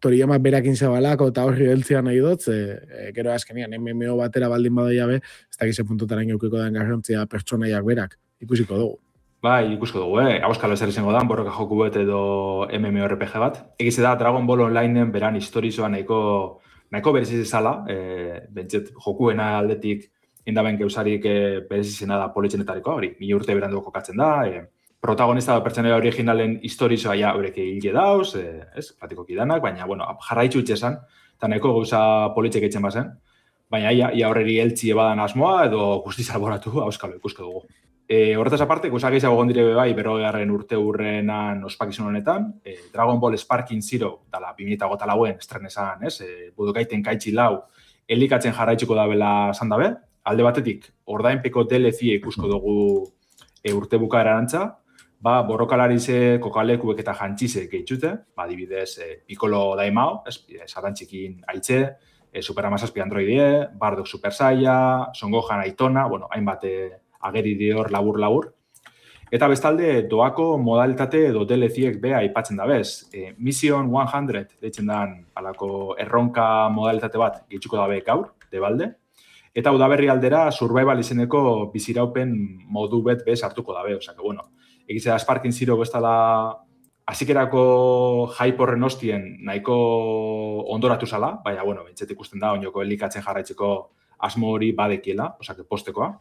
Toriyama berakin zabalako eta horri heltzea nahi dut, e, gero azkenian, M M O batera baldin badaia be, ez dakit ze puntutaren eukiko den garrantzia pertsonaiak berak, ikusiko dugu. Bai, ikusko dugu, eh? Auskalo ezer izango da, borroka joku bet edo MMORPG bat. Egize da, Dragon Ball Onlineen beran historizoa nahiko nahiko bereziz ezala, e, bentset jokuena aldetik indaben geusarik e, berezizena da politxenetarikoa, hori, mila urte berandu kokatzen da, e, protagonista da pertsonaia originalen historizoa ja horrek egile dauz, e, ez, platikoki danak, baina, bueno, jarraitzu itxesan, eta nahiko gauza politxek etxen bazen, baina ia, ia horreri eltzi ebadan asmoa edo guztiz alboratu, auskalo ikusko dugu. E, horretaz aparte, gauza gehiago egon dire bai, berrogeigarren urte hurrenan ospakizun honetan, e, Dragon Ball Sparking Zero, dala bi mila hogeita lauen estrenesan, ez? E, budukaiten kaitzi lau, elikatzen jarraitzuko dabela esan dabe. Alde batetik, ordainpeko D L C ikusko dugu e, urte bukaera erantza, ba, borrokalarize, kokalekuek eta jantxizek gehitxute, ba, adibidez, e, Piccolo Daimao, ez, sarantxikin aitze, e, Super Amazazpi Androidie, Bardock Super Saiya, Son Gohan Aitona, bueno, hainbat e, ageri dior labur-labur. Eta bestalde, doako modalitate edo D L C-ek be aipatzen da bez. E, Mission one hundred, deitzen dan, alako erronka modalitate bat gehitxuko dabe gaur, debalde. Eta udaberri aldera, survival izeneko biziraupen modu bet bez hartuko dabe. Osea, que, bueno, egize da Sparking Zero bestala hasikerako hype horren ostien nahiko ondoratu zala, baina, bueno, bentsat ikusten da, oinoko elikatzen jarraitzeko asmo hori badekiela, osea, que postekoa.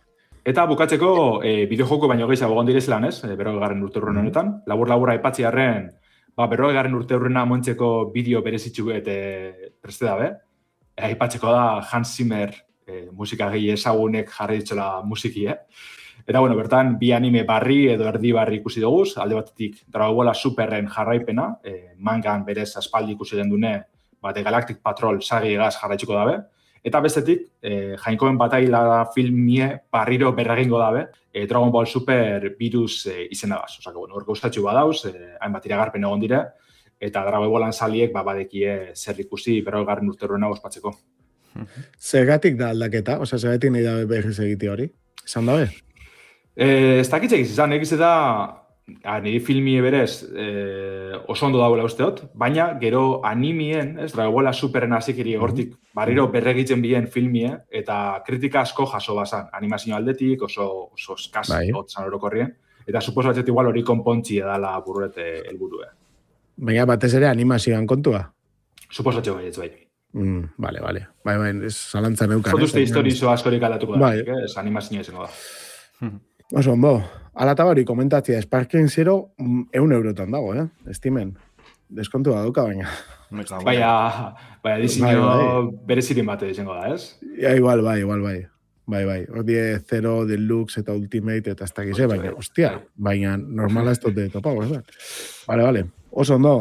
Eta bukatzeko, e, bideojoko baino gehiago egon direzelan, ez? E, berrogeigarren urte hurren honetan. Labur-labura aipatziarren, ba, berrogeigarren urte hurrena montzeko bideo berezitzu eta preste dabe. E, aipatzeko da Hans Zimmer e, musika gehi ezagunek jarri ditzola musiki, eh? Eta, bueno, bertan, bi anime barri edo erdi barri ikusi duguz, alde batetik Dragon Ball Superren jarraipena, e, mangan berez aspaldi ikusi den dune, bate Galactic Patrol sagi egaz jarraitzuko dabe. Eta bestetik, eh, Jainkoen bataila filmie barriro berregingo dabe, eh, Dragon Ball Super virus eh, izenagaz. Osa, bueno, hor gaustatxu badauz, eh, hainbat iragarpen egon dire, eta Dragon Ballan saliek ba, badekie zer ikusi berrogeigarren urte hurrena ospatzeko. Zergatik da aldaketa? Osa, zergatik nahi dabe berriz egite hori? Esan dabe? Eh, ez dakitze egiz izan, egiz da, a, niri filmie berez eh, oso ondo dagoela usteot, baina gero animien, ez, Dragon Ball Superen hazikiri egortik, barriro berregitzen bien filmie, eta kritika asko jaso bazan, animazio aldetik, oso, oso eskaz, bai. Otzan orokorrien, eta suposatzet igual hori konpontzi edala bururete helburue. Baina batez ere animazioan kontua? Suposatzeo bai, ez bai. Mm, vale, vale. Bai, bai, ez zalantzan eukan. Zotuzte eh? Historizo askorik aldatuko da, bai. Ez animazio izango da. Oso, ondo. Alata hori komentatzia, Sparking Zero eun eurotan dago, eh? Estimen. Deskontua dauka, baina. Baina, baina diseño bai, bai. Berezirin bate izango da, ez? Ja, igual, bai, igual, bai. Bai, bai. Ordie Zero, Deluxe eta Ultimate eta ez dakize, baina, hostia, baina normala ez dute topago, ez da? Vale, vale. Oso, ondo.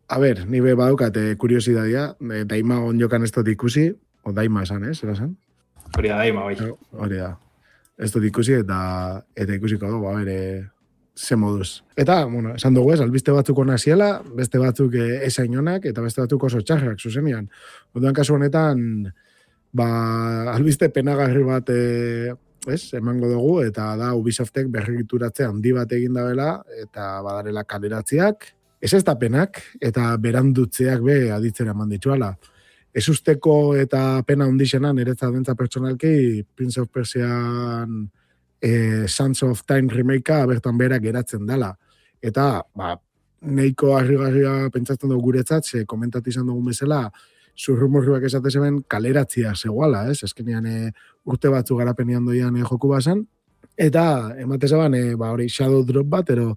A ber, nire badukate kuriosidadia, daima onjokan ez dut ikusi, o daima esan, ez? Era esan? Hori da, daima, bai. Hori da. Ez dut ikusi eta eta ikusiko dugu, a ber, ze moduz. Eta, bueno, esan dugu ez, albiste batzuk ona ziela, beste batzuk esain onak, eta beste batzuk oso txarrak, zuzenian. Orduan kasu honetan, ba, albiste penagarri bat, e, ez, emango dugu, eta da Ubisoftek berregituratze handi bat egin dabela, eta badarela kaleratziak, ez ez da penak, eta berandutzeak be aditzera eman dituala. Ez usteko eta pena hundixena niretzat bentza pertsonalki Prince of Persian eh, Sands of Time remakea bertan berak geratzen dela. Eta, ba, neiko harrigarria pentsatzen dugu guretzat, ze komentatu izan dugun bezala, zurrumurruak esate zeben kaleratzia zegoala, ez? Ezkenean e, urte batzu garapenean doian e, joku bazan. Eta, emate zeban, e, ba, hori shadow drop bat, ero,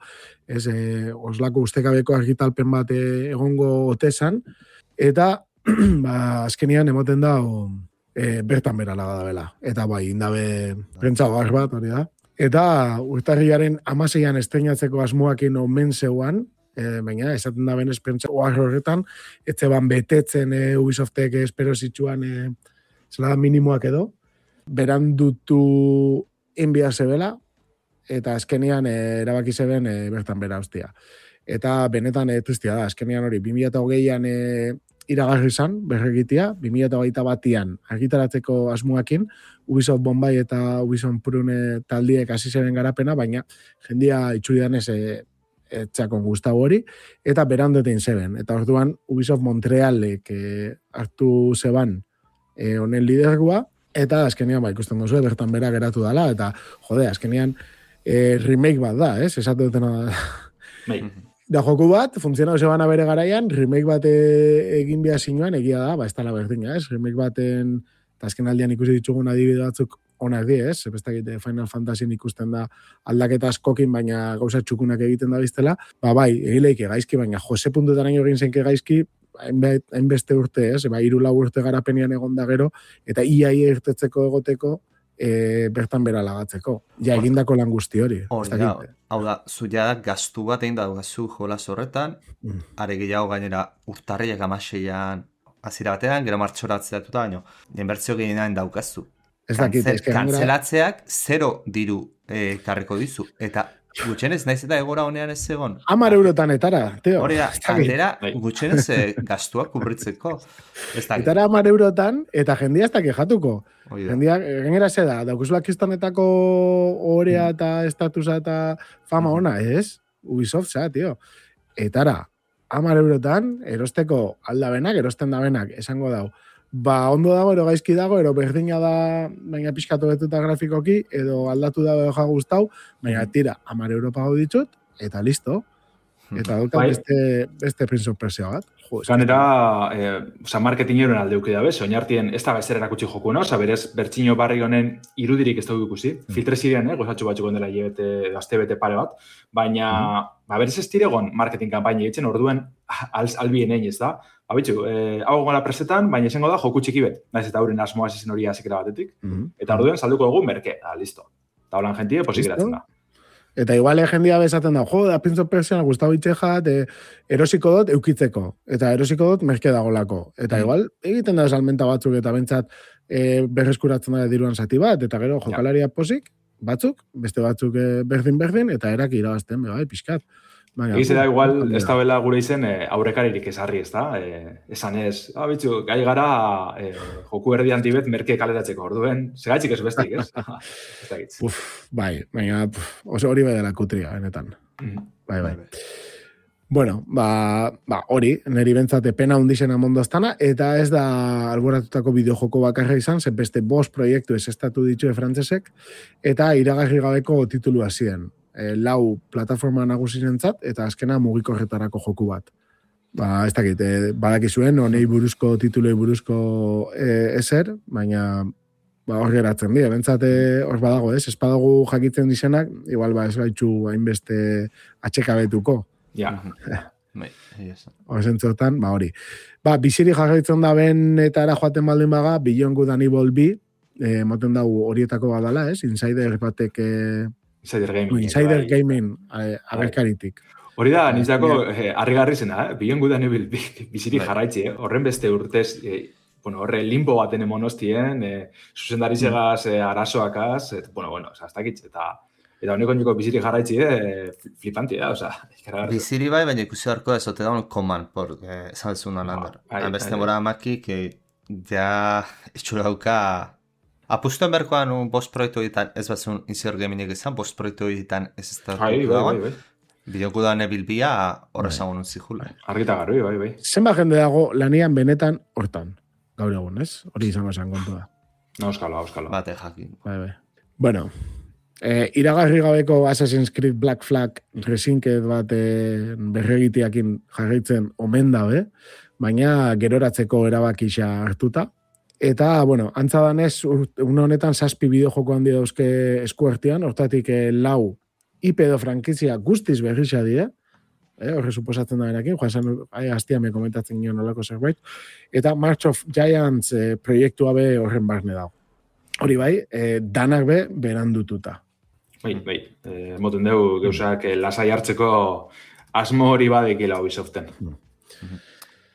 ez, e, oslako ustekabeko argitalpen bat e, egongo otezan. Eta, ba, azkenian emoten da o, e, bertan berala da bela. Eta bai, indabe prentza bar bat, hori da. Eta urtarriaren amaseian estreinatzeko asmoakin omen zeuan, e, baina esaten da benez prentza bar horretan, etzeban betetzen e, Ubisoftek espero zitsuan e, zela minimoak edo, berandutu inbia zebela, eta azkenian e, erabaki zeben e, bertan bera hostia. Eta benetan e, tristia da, azkenian hori, bi mila hogeian e, iragarri izan, berregitia, bi mila hogeita batian argitaratzeko asmoakin, Ubisoft Bombay eta Ubisoft Prune taldiek hasi zeben garapena, baina jendia itxuridan ez etxakon guztago hori, eta berandetein zeben. Eta orduan Ubisoft Montrealek e, hartu zeban e, honen lidergoa, eta azkenean ba, ikusten duzu, bertan bera geratu dela, eta jode, azkenean e, remake bat da, ez? Esatu dutena da. Bai. Da joku bat, funtzionau zebana bere garaian, remake bat egin behar zinuan, egia da, ba, ez tala berdina, ez? Remake baten, eta azken aldean ikusi ditugun adibide batzuk onak di, ez? Bestakite Final Fantasyin ikusten da aldaketa askokin, baina gauza txukunak egiten da biztela. Ba, bai, egileik gaizki, baina jose puntutaraino egin zenke gaizki, hainbeste urte, ez? Ba, hiru lau urte garapenean egon da gero, eta iaia irtetzeko egoteko, e, bertan bera lagatzeko. Ja, egindako lan guzti hori. Hori da, hau da, zu ja gaztu bat egin daukazu jolas horretan, mm. are gehiago gainera urtarriak amaseian azira batean, gero martxoratzea datuta, baino, inbertzio gehienan daukazu. Ez dakit, Kantzel, ez que kantzelatzeak zero diru eh, karriko dizu, eta gutxenez, naiz eta egora honean ez egon. Hamar eurotan etara, teo. Hori da, kaldera gutxenez eh, gaztuak kubritzeko. Etara hamar eurotan, eta jendia ez da kejatuko. Jendia, gainera ze da, daukuzula kistonetako orea eta estatusa eta fama ona, ez? Ubisoft za, tio. Etara, hamar eurotan, erosteko aldabenak, erosten dabenak, esango dau. Ba, ondo dago, ero gaizki dago, ero berdina da, baina pixkatu betuta grafikoki, edo aldatu dago edo gustau, baina tira, hamar euro pago ditut, eta listo. Eta daukat bai. beste, beste prinzo presioa bat. Ganera, eh, oza, marketingeroen aldeuki dabe, soñartien ez da bezer erakutsi joku, no? Oza, berez, bertxino barri honen irudirik ez dugu ikusi. Mm. Filtre ziren, eh? Gozatxo batzuk ondela hilebete, azte bete pare bat. Baina, mm. ba, berez ez diregon marketing kampaini egitzen, orduen al, albien egin ez da. Ba, bitxu, eh, hau gola presetan, baina esango da joku txiki bet. Naiz eta hauren asmoa ezen hori azikera batetik. Mm. Eta orduen salduko dugu merke, da, listo. Eta holan jentie, posik eratzen da. Eta igual jendia bezaten da, jo, da Prince of Persia, Gustavo Itxejat, e, erosiko dut eukitzeko. Eta erosiko dut merke dagolako. Eta mm. igual, egiten da salmenta batzuk eta bentsat e, berreskuratzen da diruan zati bat, eta gero jokalaria posik, batzuk, beste batzuk e, berdin-berdin, eta eraki irabazten, bai, pixkat. Egiz da, igual, ez da bela gure izen e, aurrekaririk esarri, ez da? E, esan ez, ah, bitxu, gai gara e, joku erdi antibet merke kaleratzeko, orduen, segaitzik ez bestik, ez? Ez da gitz. Uf, bai, baina, oso hori bai dela kutria, benetan. Mm. Bai, bai. Bueno, ba, ba hori, niri bentsate pena hundixena mondoztana, eta ez da alboratutako bideojoko bakarra izan, zen beste bost proiektu ez estatu ditue frantzesek, eta iragarri gabeko titulua ziren. E, lau plataforma nagusirentzat eta azkena mugikorretarako joku bat. Ba, ez dakit, e, badakizuen, honei buruzko titulei buruzko e, ezer, baina ba, hor geratzen dira. Bentsate hor badago, ez? Ez badago jakitzen dizenak, igual ba, ez gaitxu hainbeste atxekabetuko. Ja. Hor zentzotan, ba hori. Ba, biziri jarraitzen da ben eta era joaten baldin baga, Beyond Good and Evil bi, e, moten dago horietako badala, ez? Insider batek... E, Insider Gaming. Insider Gaming, agerkaritik. Hori da, nintzako eh, harrigarri zena, eh? Beyond Good and Evil biziri jarraitzi, eh? Horren beste urtez, eh, bueno, horre limbo baten emonostien, eh, zuzendarizegaz, eh, arazoakaz, et, bueno, bueno, oza, hasta kitz, eta eta honeko niko biziri jarraitzi, eh, flipanti da, oza. Biziri bai, baina ikusi harko ez, ote da un koman, por, eh, esan Lander. Beste mora amaki, que ja itxura dauka... Apustuen berkoan un bost proiektu ditan ez batzun Insider Gaming izan, bost proiektu ditan ez ez da dagoen. Bideoku da nebilbia horrezagun untzihula. Argita garbi, bai, bai. Zenba jende dago lanian benetan hortan, gaur egun, ez? Hori izango esan kontua. No, euskalo, euskalo. Bate jakin. Bai, bai. Bueno, eh, iragarri gabeko Assassin's Creed Black Flag resinket bat eh, berregitiakin jarraitzen omen dabe, baina geroratzeko erabakisa hartuta. Eta, bueno, antza danez, une honetan zazpi bideojoko handi dauzke eskuartean, hortatik eh, lau I P edo frankizia guztiz berrisa dira, eh, horre suposatzen da benekin, joan zen, hastia me komentatzen nion olako zerbait, eta March of Giants eh, proiektua be horren barne dago. Hori bai, eh, danak be berandututa. Bai, bai, eh, moten dugu gauzak eh, lasai hartzeko asmo hori badekila Ubisoften. Mm.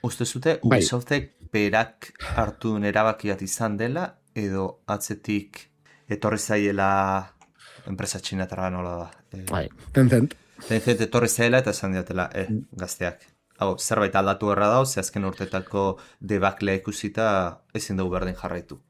Uste zute, Ubisoftek berak hartu erabaki bat izan dela, edo atzetik etorri zaiela enpresa txinatarra nola da. E, bai, Tencent. Tencent etorri zaiela eta esan diatela, eh, gazteak. Hau, zerbait aldatu erra dau, ze azken urtetako debaklea ikusita ezin dugu berdin jarraitu.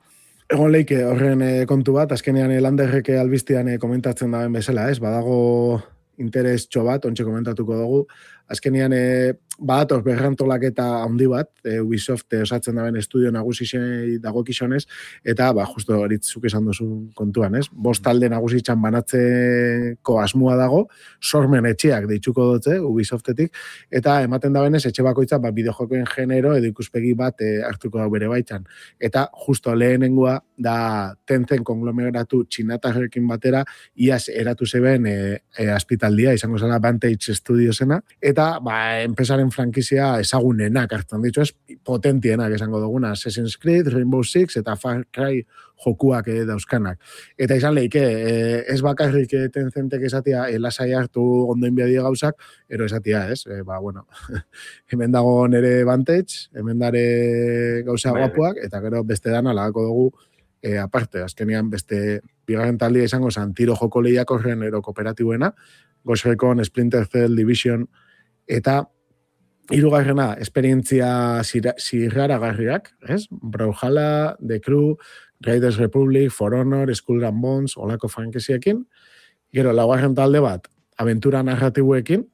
Egon leike horren e, kontu bat, azkenean Landerreke albiztian e, komentatzen daben bezala, ez? Badago interes txo bat, ontxe komentatuko dugu. Azkenean, e, badator berrantolak eta handi bat, e, Ubisoft e, osatzen daben estudio nagusizei dagokizonez, eta, ba, justo horitzuk esan duzu kontuan, ez? Bost talde nagusitzan banatzeko asmua dago, sormen etxeak deitzuko dutze, Ubisoftetik, eta ematen dabenez, etxe bakoitza, ba, bideojokoen genero edo ikuspegi bat e, hartuko da bere baitzan. Eta, justo lehenengoa, da Tencent konglomeratu txinatarrekin batera, iaz eratu zeben e, e, aspitaldia, izango zela Vantage Studiosena, eta eta ba, enpresaren frankizia ezagunenak hartzen ditu, ez potentienak esango duguna, Assassin's Creed, Rainbow Six eta Far Cry jokuak eh, dauzkanak. Eta izan lehike, eh, ez bakarrik eh, Tencentek esatia eh, lasai hartu ondoin biadia gauzak, ero esatia, ez? Eh, ba, bueno, hemen dago nere Vantage, hemen dare gauza guapuak, eta gero beste dana lagako dugu eh, aparte, azkenean beste bigarren taldia izango zan, tiro joko lehiak horren ero kooperatibuena, Ghost Recon, Splinter Cell, Division, eta hirugarrena esperientzia zirraragarriak, ez? Brawlhalla, The Crew, Raiders Republic, For Honor, Skull and Bones, olako frankiziekin. Gero, laugarren talde bat, aventura narratibuekin,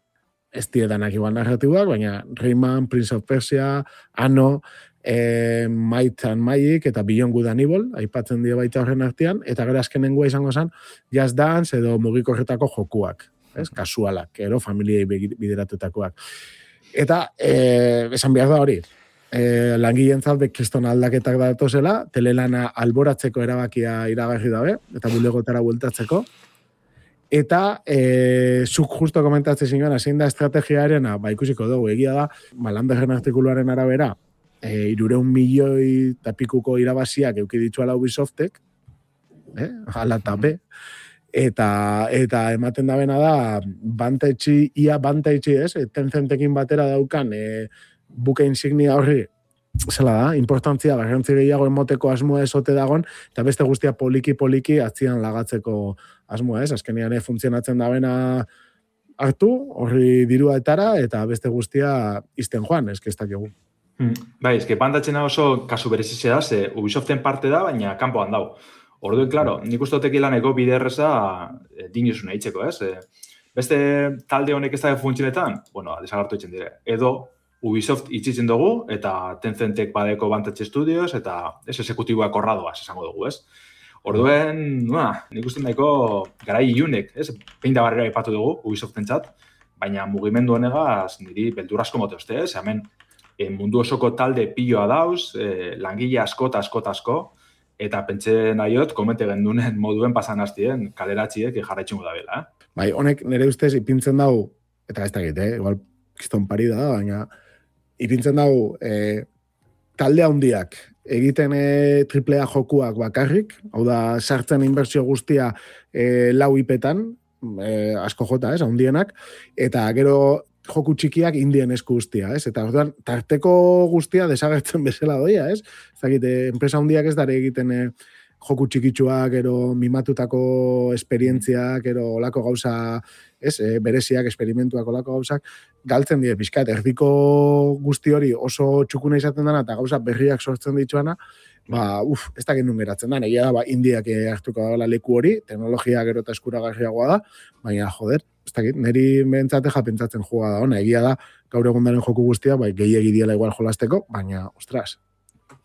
ez diedanak igual narratibuak, baina Rayman, Prince of Persia, Anno, eh, Might and Magic, eta Beyond Good and Evil, aipatzen die baita horren artean, eta gero azkenengoa izango zen, Just Dance edo mugikorretako jokuak, ez? Kasualak, ero familiei bideratutakoak. Eta, eh, esan behar da hori, eh, langilentzat bekriston aldaketak datozela, telelana alboratzeko erabakia iragarri dabe, eta bulegotara bueltatzeko. Eta, eh, zuk justo komentatzen zinuen, zein da estrategiarena, ba ikusiko dugu, egia da, Malanderren artikuluaren arabera, eh, irureun milioi tapikuko irabaziak euki dituala Ubisoftek, eh, ala eta be, eta, eta ematen da bena da, Vantage, ia Vantage ez, Tencentekin batera daukan, eh, buke insignia horri, zela da, importantzia, garrantzi gehiago emoteko asmoa esote dagon, eta beste guztia poliki-poliki atzian lagatzeko asmoa ez, azkenean eh, funtzionatzen da bena hartu, horri dirua etara, eta beste guztia izten joan, ez que ez dakigu. Hmm. Bai, ez que bandatzena oso kasu berezizia da, ze Ubisoften parte da, baina kanpoan dau. Orduen, klaro, nik uste dut ekilaneko bide erreza e, dinusuna hitzeko, ez? E, beste talde honek ez da funtzionetan, bueno, desagartu itzen dire. Edo Ubisoft itzitzen dugu, eta Tencentek badeko Vantage Studios, eta ez esekutiboak horradoaz esango dugu, ez? Orduen, nua, nik uste nahiko garai iunek, ez? Pein da barrera ipatu dugu Ubisoftentzat, baina mugimendu honegaz niri beldurrasko mote uste, ez? Hemen e, mundu osoko talde piloa dauz, e, langile askota, askota asko, eta pentsen aiot, komente gendunen moduen pasan hastien kaleratziek jarraitxungo da bela. Eh? Bai, honek nire ustez ipintzen dau, eta ez dakit, eh? Igual kiston pari da, baina ipintzen dau eh, talde handiak egiten eh, triple A jokuak bakarrik, hau da, sartzen inbertsio guztia eh, lau ipetan, eh, asko jota, ez, handienak, eta gero joku txikiak indien esku guztia, ez? Eta orduan, tarteko guztia desagertzen bezala doia, ez? Ez dakit, enpresa handiak ez dara egiten eh, joku txikitsuak, ero mimatutako esperientziak, ero olako gauza, ez? E, bereziak, esperimentuak, olako gauzak, galtzen die pixkat, erdiko guzti hori oso txukuna izaten dana, eta gauza berriak sortzen dituana, ba, uf, ez dakit nun geratzen da, egia da, ba, indiak hartuko dela leku hori, teknologia gero eta eskuragarriagoa da, baina, joder, ez dakit, niri behentzate japentzatzen joa da, ona, egia da, gaur egundaren joku guztia, bai, gehiegi diela igual jolasteko, baina, ostras.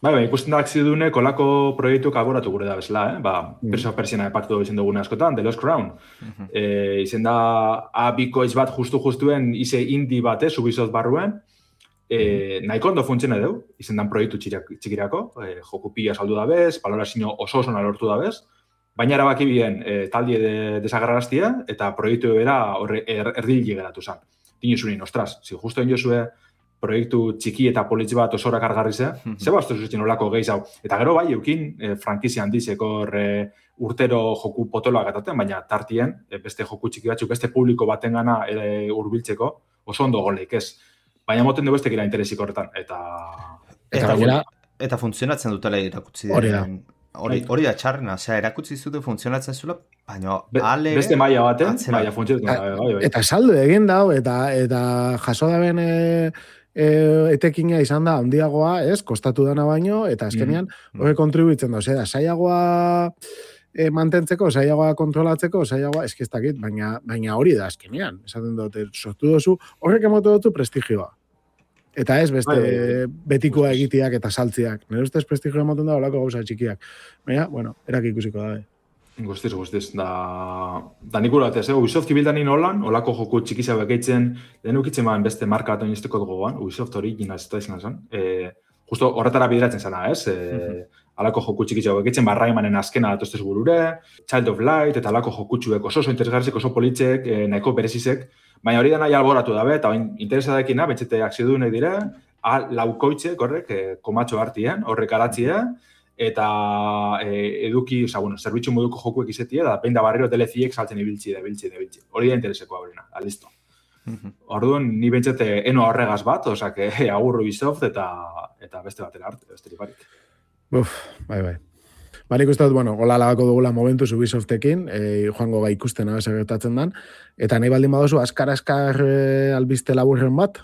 Bai, bai, ikusten da akzidune kolako proiektu kaboratu gure da bezala, eh? Ba, mm. Perso persiana epaktu izen dugune askotan, The Lost Crown. Mm-hmm. E, izen da, abikoiz bat justu-justuen ize indi bat, eh, Ubisoft barruen, e, mm-hmm. nahiko ondo funtzione deu, izen dan proiektu txikirako, e, joku pila saldu da bez, balorazio oso oso lortu da bez, baina erabaki bien e, taldie de, desagarraraztia, eta proiektu era er, erdili geratu zen. Dinuzunin, ostras, si justo inozue proiektu txiki eta politz bat osora kargarri ze, mm-hmm. ze bastuz zutzen olako gehiz hau. Eta gero bai, eukin, e, frankizia handizeko e, urtero joku potoloak ataten, baina tartien, e, beste joku txiki batzuk, beste publiko batengana e, urbiltzeko, oso ondo goleik ez. Baina moten du beste gira interesik horretan. Eta, eta, eta, eta funtzionatzen dutela irakutzi hori da. Hori, hori da txarrena, osea, erakutzi zute funtzionatzen zula, baina Be, ale... Beste maila baten, maila funtzionatzen. Bai, bai. Eta saldo egin dau, eta, eta jaso da ben... E... E, etekina izan da, handiagoa, ez, kostatu dana baino, eta azkenean, mm. horre kontribuitzen da, ozera, saiagoa e, mantentzeko, saiagoa kontrolatzeko, saiagoa, eskiztakit, baina, baina hori da azkenean, esaten dute, sortu dozu, horrek emotu dutu prestigioa. Eta ez, beste, bai, betikoa egiteak eta saltziak. Nire ustez prestigioa emoten da, olako gauza txikiak. Baina, bueno, erak ikusiko da, eh. Guztiz, guztiz. Da, da nik uratez, eh? Ubisoft ibildan inolan, olako joku txikizia bekeitzen, lehen ukitzen baan beste marka bat oinizteko dugu goan, Ubisoft hori gina ez da izan zen. E, justo horretara bideratzen zena, ez? E, alako joku txikitxo bekitzen, ba, Raymanen azkena datoztez burure, Child of Light, eta alako jokutxuek oso oso interesgarzik, oso politzek, eh, nahiko berezizek, baina hori da nahi alboratu dabe, eta interesadekina, betxete akziodunek dire, laukoitze, korrek, eh, komatxo hartien, horrek aratzie, eta eh, eduki, oza, bueno, zerbitzu moduko jokuek izetie, da behin da barriro D L C-ek saltzen ibiltzi, da ibiltzi, da ibiltzi. Hori da intereseko aurrena, listo. Orduan, ni bentsete eno horregaz bat, osea, que agur Ubisoft eta, eta beste batera arte, beste barik. Uf, bai, bai. Ba, nik uste dut, bueno, gola lagako dugula momentuz Ubisoftekin, e, joango ga ikusten abez gertatzen dan, eta nahi baldin badozu, askar-askar e, albiste laburren bat?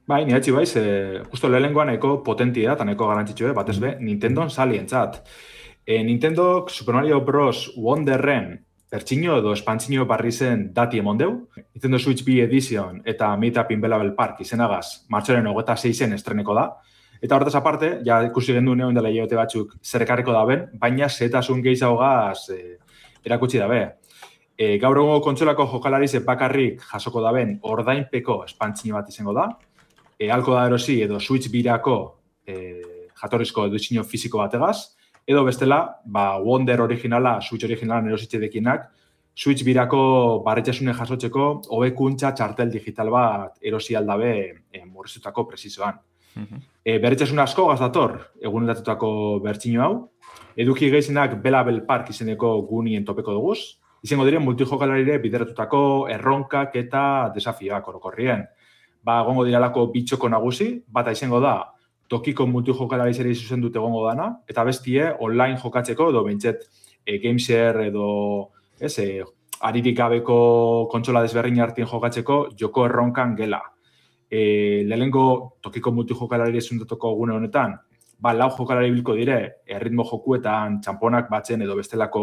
Bai, ni hatxi baiz, e, justo lehengoan eko potentia eta neko garantzitxue, batez be, Nintendon salientzat. E, Nintendo Super Mario Bros. Wonderren pertsino edo espantzino barri zen dati emondeu, Nintendo Switch B Edition eta Meetup in Belleville Park izenagaz, martxoren hogeta seizen estreneko da, eta hortaz aparte, ja ikusi gendu neoen dela hilabete batzuk zerrekarriko daben, baina zetasun gehiagogaz e, erakutsi dabe. E, gaur egungo kontsolako jokalarize bakarrik jasoko daben ordainpeko espantzino bat izango da, e, alko da erosi edo Switch birako e, jatorrizko edizio fiziko bategaz, edo bestela, ba, Wonder originala, Switch originalan erositzedekinak, Switch birako barretxasune jasotzeko hobekuntza txartel digital bat erosi aldabe e, murriztutako presizoan. Uh-huh. E, berretxasun asko gazdator, egunetatutako bertxino hau, eduki gehizinak Belleville Park izeneko gunien topeko duguz, izango diren multijokalarire bideratutako erronkak eta desafioak orokorrien. Ba, gongo diralako bitxoko nagusi, bata izango da, tokiko multijokalarizeri zuzen dute egongo dana, eta bestie online jokatzeko, edo bentset e, Gameshare edo ez, e, aririk gabeko kontsola desberrin hartien jokatzeko joko erronkan gela. E, lehengo tokiko multijokalariri zundatuko gune honetan, ba, lau jokalari bilko dire, erritmo jokuetan txamponak batzen edo bestelako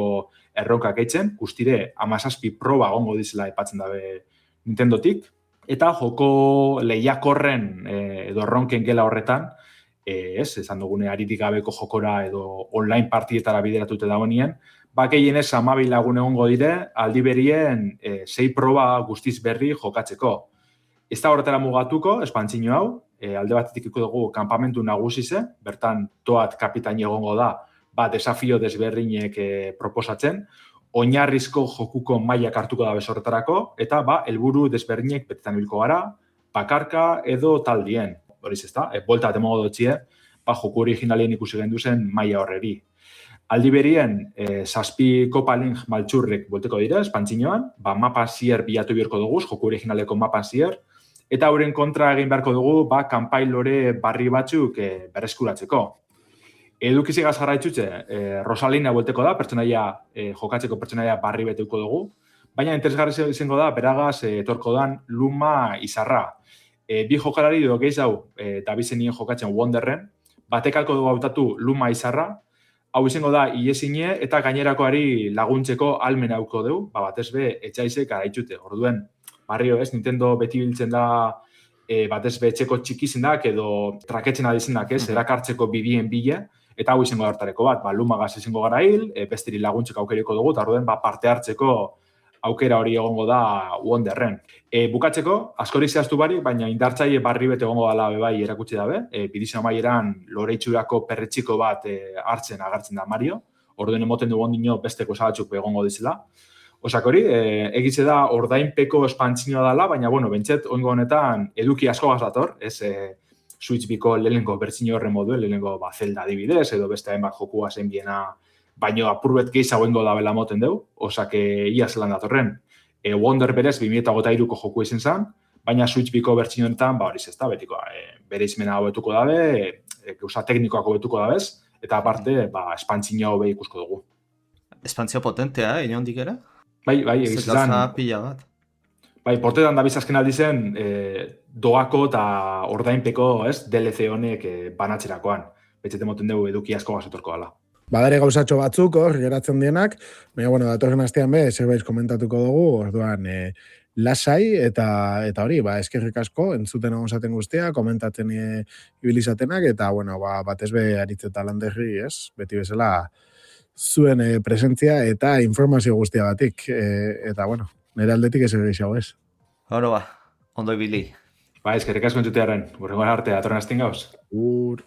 erronkak eitzen, guztire amazazpi proba gongo dizela epatzen dabe Nintendotik, eta joko lehiakorren e, edo erronken gela horretan, E, ez, esan dugune aritik gabeko jokora edo online partietara bideratute dagoenien, ba, gehienez amabi lagun egongo dire, aldi berien e, sei proba guztiz berri jokatzeko. Ez da horretara mugatuko, espantzino hau, e, alde batetik iko dugu kanpamentu nagusize, bertan toat kapitaini egongo da, ba, desafio desberrinek e, proposatzen, oinarrizko jokuko mailak hartuko da bezorretarako, eta ba, helburu desberrinek betetan hilko gara, bakarka edo taldien. Horiz ez da, e, bolta bat emongo dutxie, ba, joku originalien ikusi gendu zen maila horreri. Aldi berien, e, zazpi Copa Link maltxurrek bolteko dira, espantzinoan, ba, mapa zier bilatu biherko dugu, joku originaleko mapa zier, eta hauren kontra egin beharko dugu, ba, kanpai lore barri batzuk e, berreskuratzeko. Edukizik azgarra itxutxe, e, Rosalina bolteko da, pertsonaia, e, jokatzeko pertsonaia barri beteuko dugu, baina interesgarri izango da, beragaz, e, etorko dan Luma izarra. E, bi jokalari edo gehiago e, dabizenien jokatzen Wonderren, batekalko dugu hautatu Luma izarra, hau izango da iesine eta gainerakoari laguntzeko almen hauko dugu, ba, batez be etxaizek araitxute. Orduen, barrio ez, Nintendo beti biltzen da e, batez be etxeko txikizendak edo traketzen adizenak ez, erakartzeko bidien bile, eta hau izango hartareko bat, ba, Lumagaz izango gara hil, e, bestiri laguntzeko aukeriko dugu, eta orduen ba, parte hartzeko aukera hori egongo da Wonderren. E, bukatzeko, askorik zehaztu barik, baina indartzaile barri bete egongo dala bebai erakutsi dabe. E, Bidizio amaieran loreitxurako perretxiko bat e, hartzen agertzen da Mario. Orduen emoten dugu ondino besteko zabatzuk egongo dizela. Osak hori, e, egitze da ordainpeko espantzinoa dela, baina, bueno, bentset, oingo honetan eduki asko gazator, ez e, Switch biko lehenengo bertzino horren moduen, lehenengo ba, Zelda adibidez, edo beste hainbat jokua zen biena, baina apurbet gehiago ingo da bela moten deu, osak ia zelan datorren. E, Wonder berez, bi mila hogeita hiruko joku izan zen, baina Switch biko bertsio honetan, ba hori ez da, betiko, e, bere izmena hobetuko dabe, e, gauza teknikoak hobetuko dabez, eta aparte, ba, espantzina hobe ikusko dugu. Espantzio potentea, eh, inondik ere? Bai, bai, egiz izan. Gauza pila bat. Bai, portetan da bizazken aldi zen, e, doako eta ordainpeko, ez, D L C honek e, banatzerakoan. Betxete moten dugu eduki asko gazetorko dela. Badare gauzatxo batzuk, hor, geratzen dienak, baina, bueno, datorren astean be, zerbait komentatuko dugu, orduan, e, lasai, eta eta hori, ba, eskerrik asko, entzuten egon zaten guztia, komentatzen e, ibilizatenak, eta, bueno, ba, batez be, aritzeta landerri, ez, beti bezala, zuen e, presentzia eta informazio guztia batik, e, eta, bueno, nire aldetik ez egeixago, ez. Horo ba, ondo ibili. Ba, eskerrik asko entzutearen, gure gara arte, datorren astean gauz. Ur...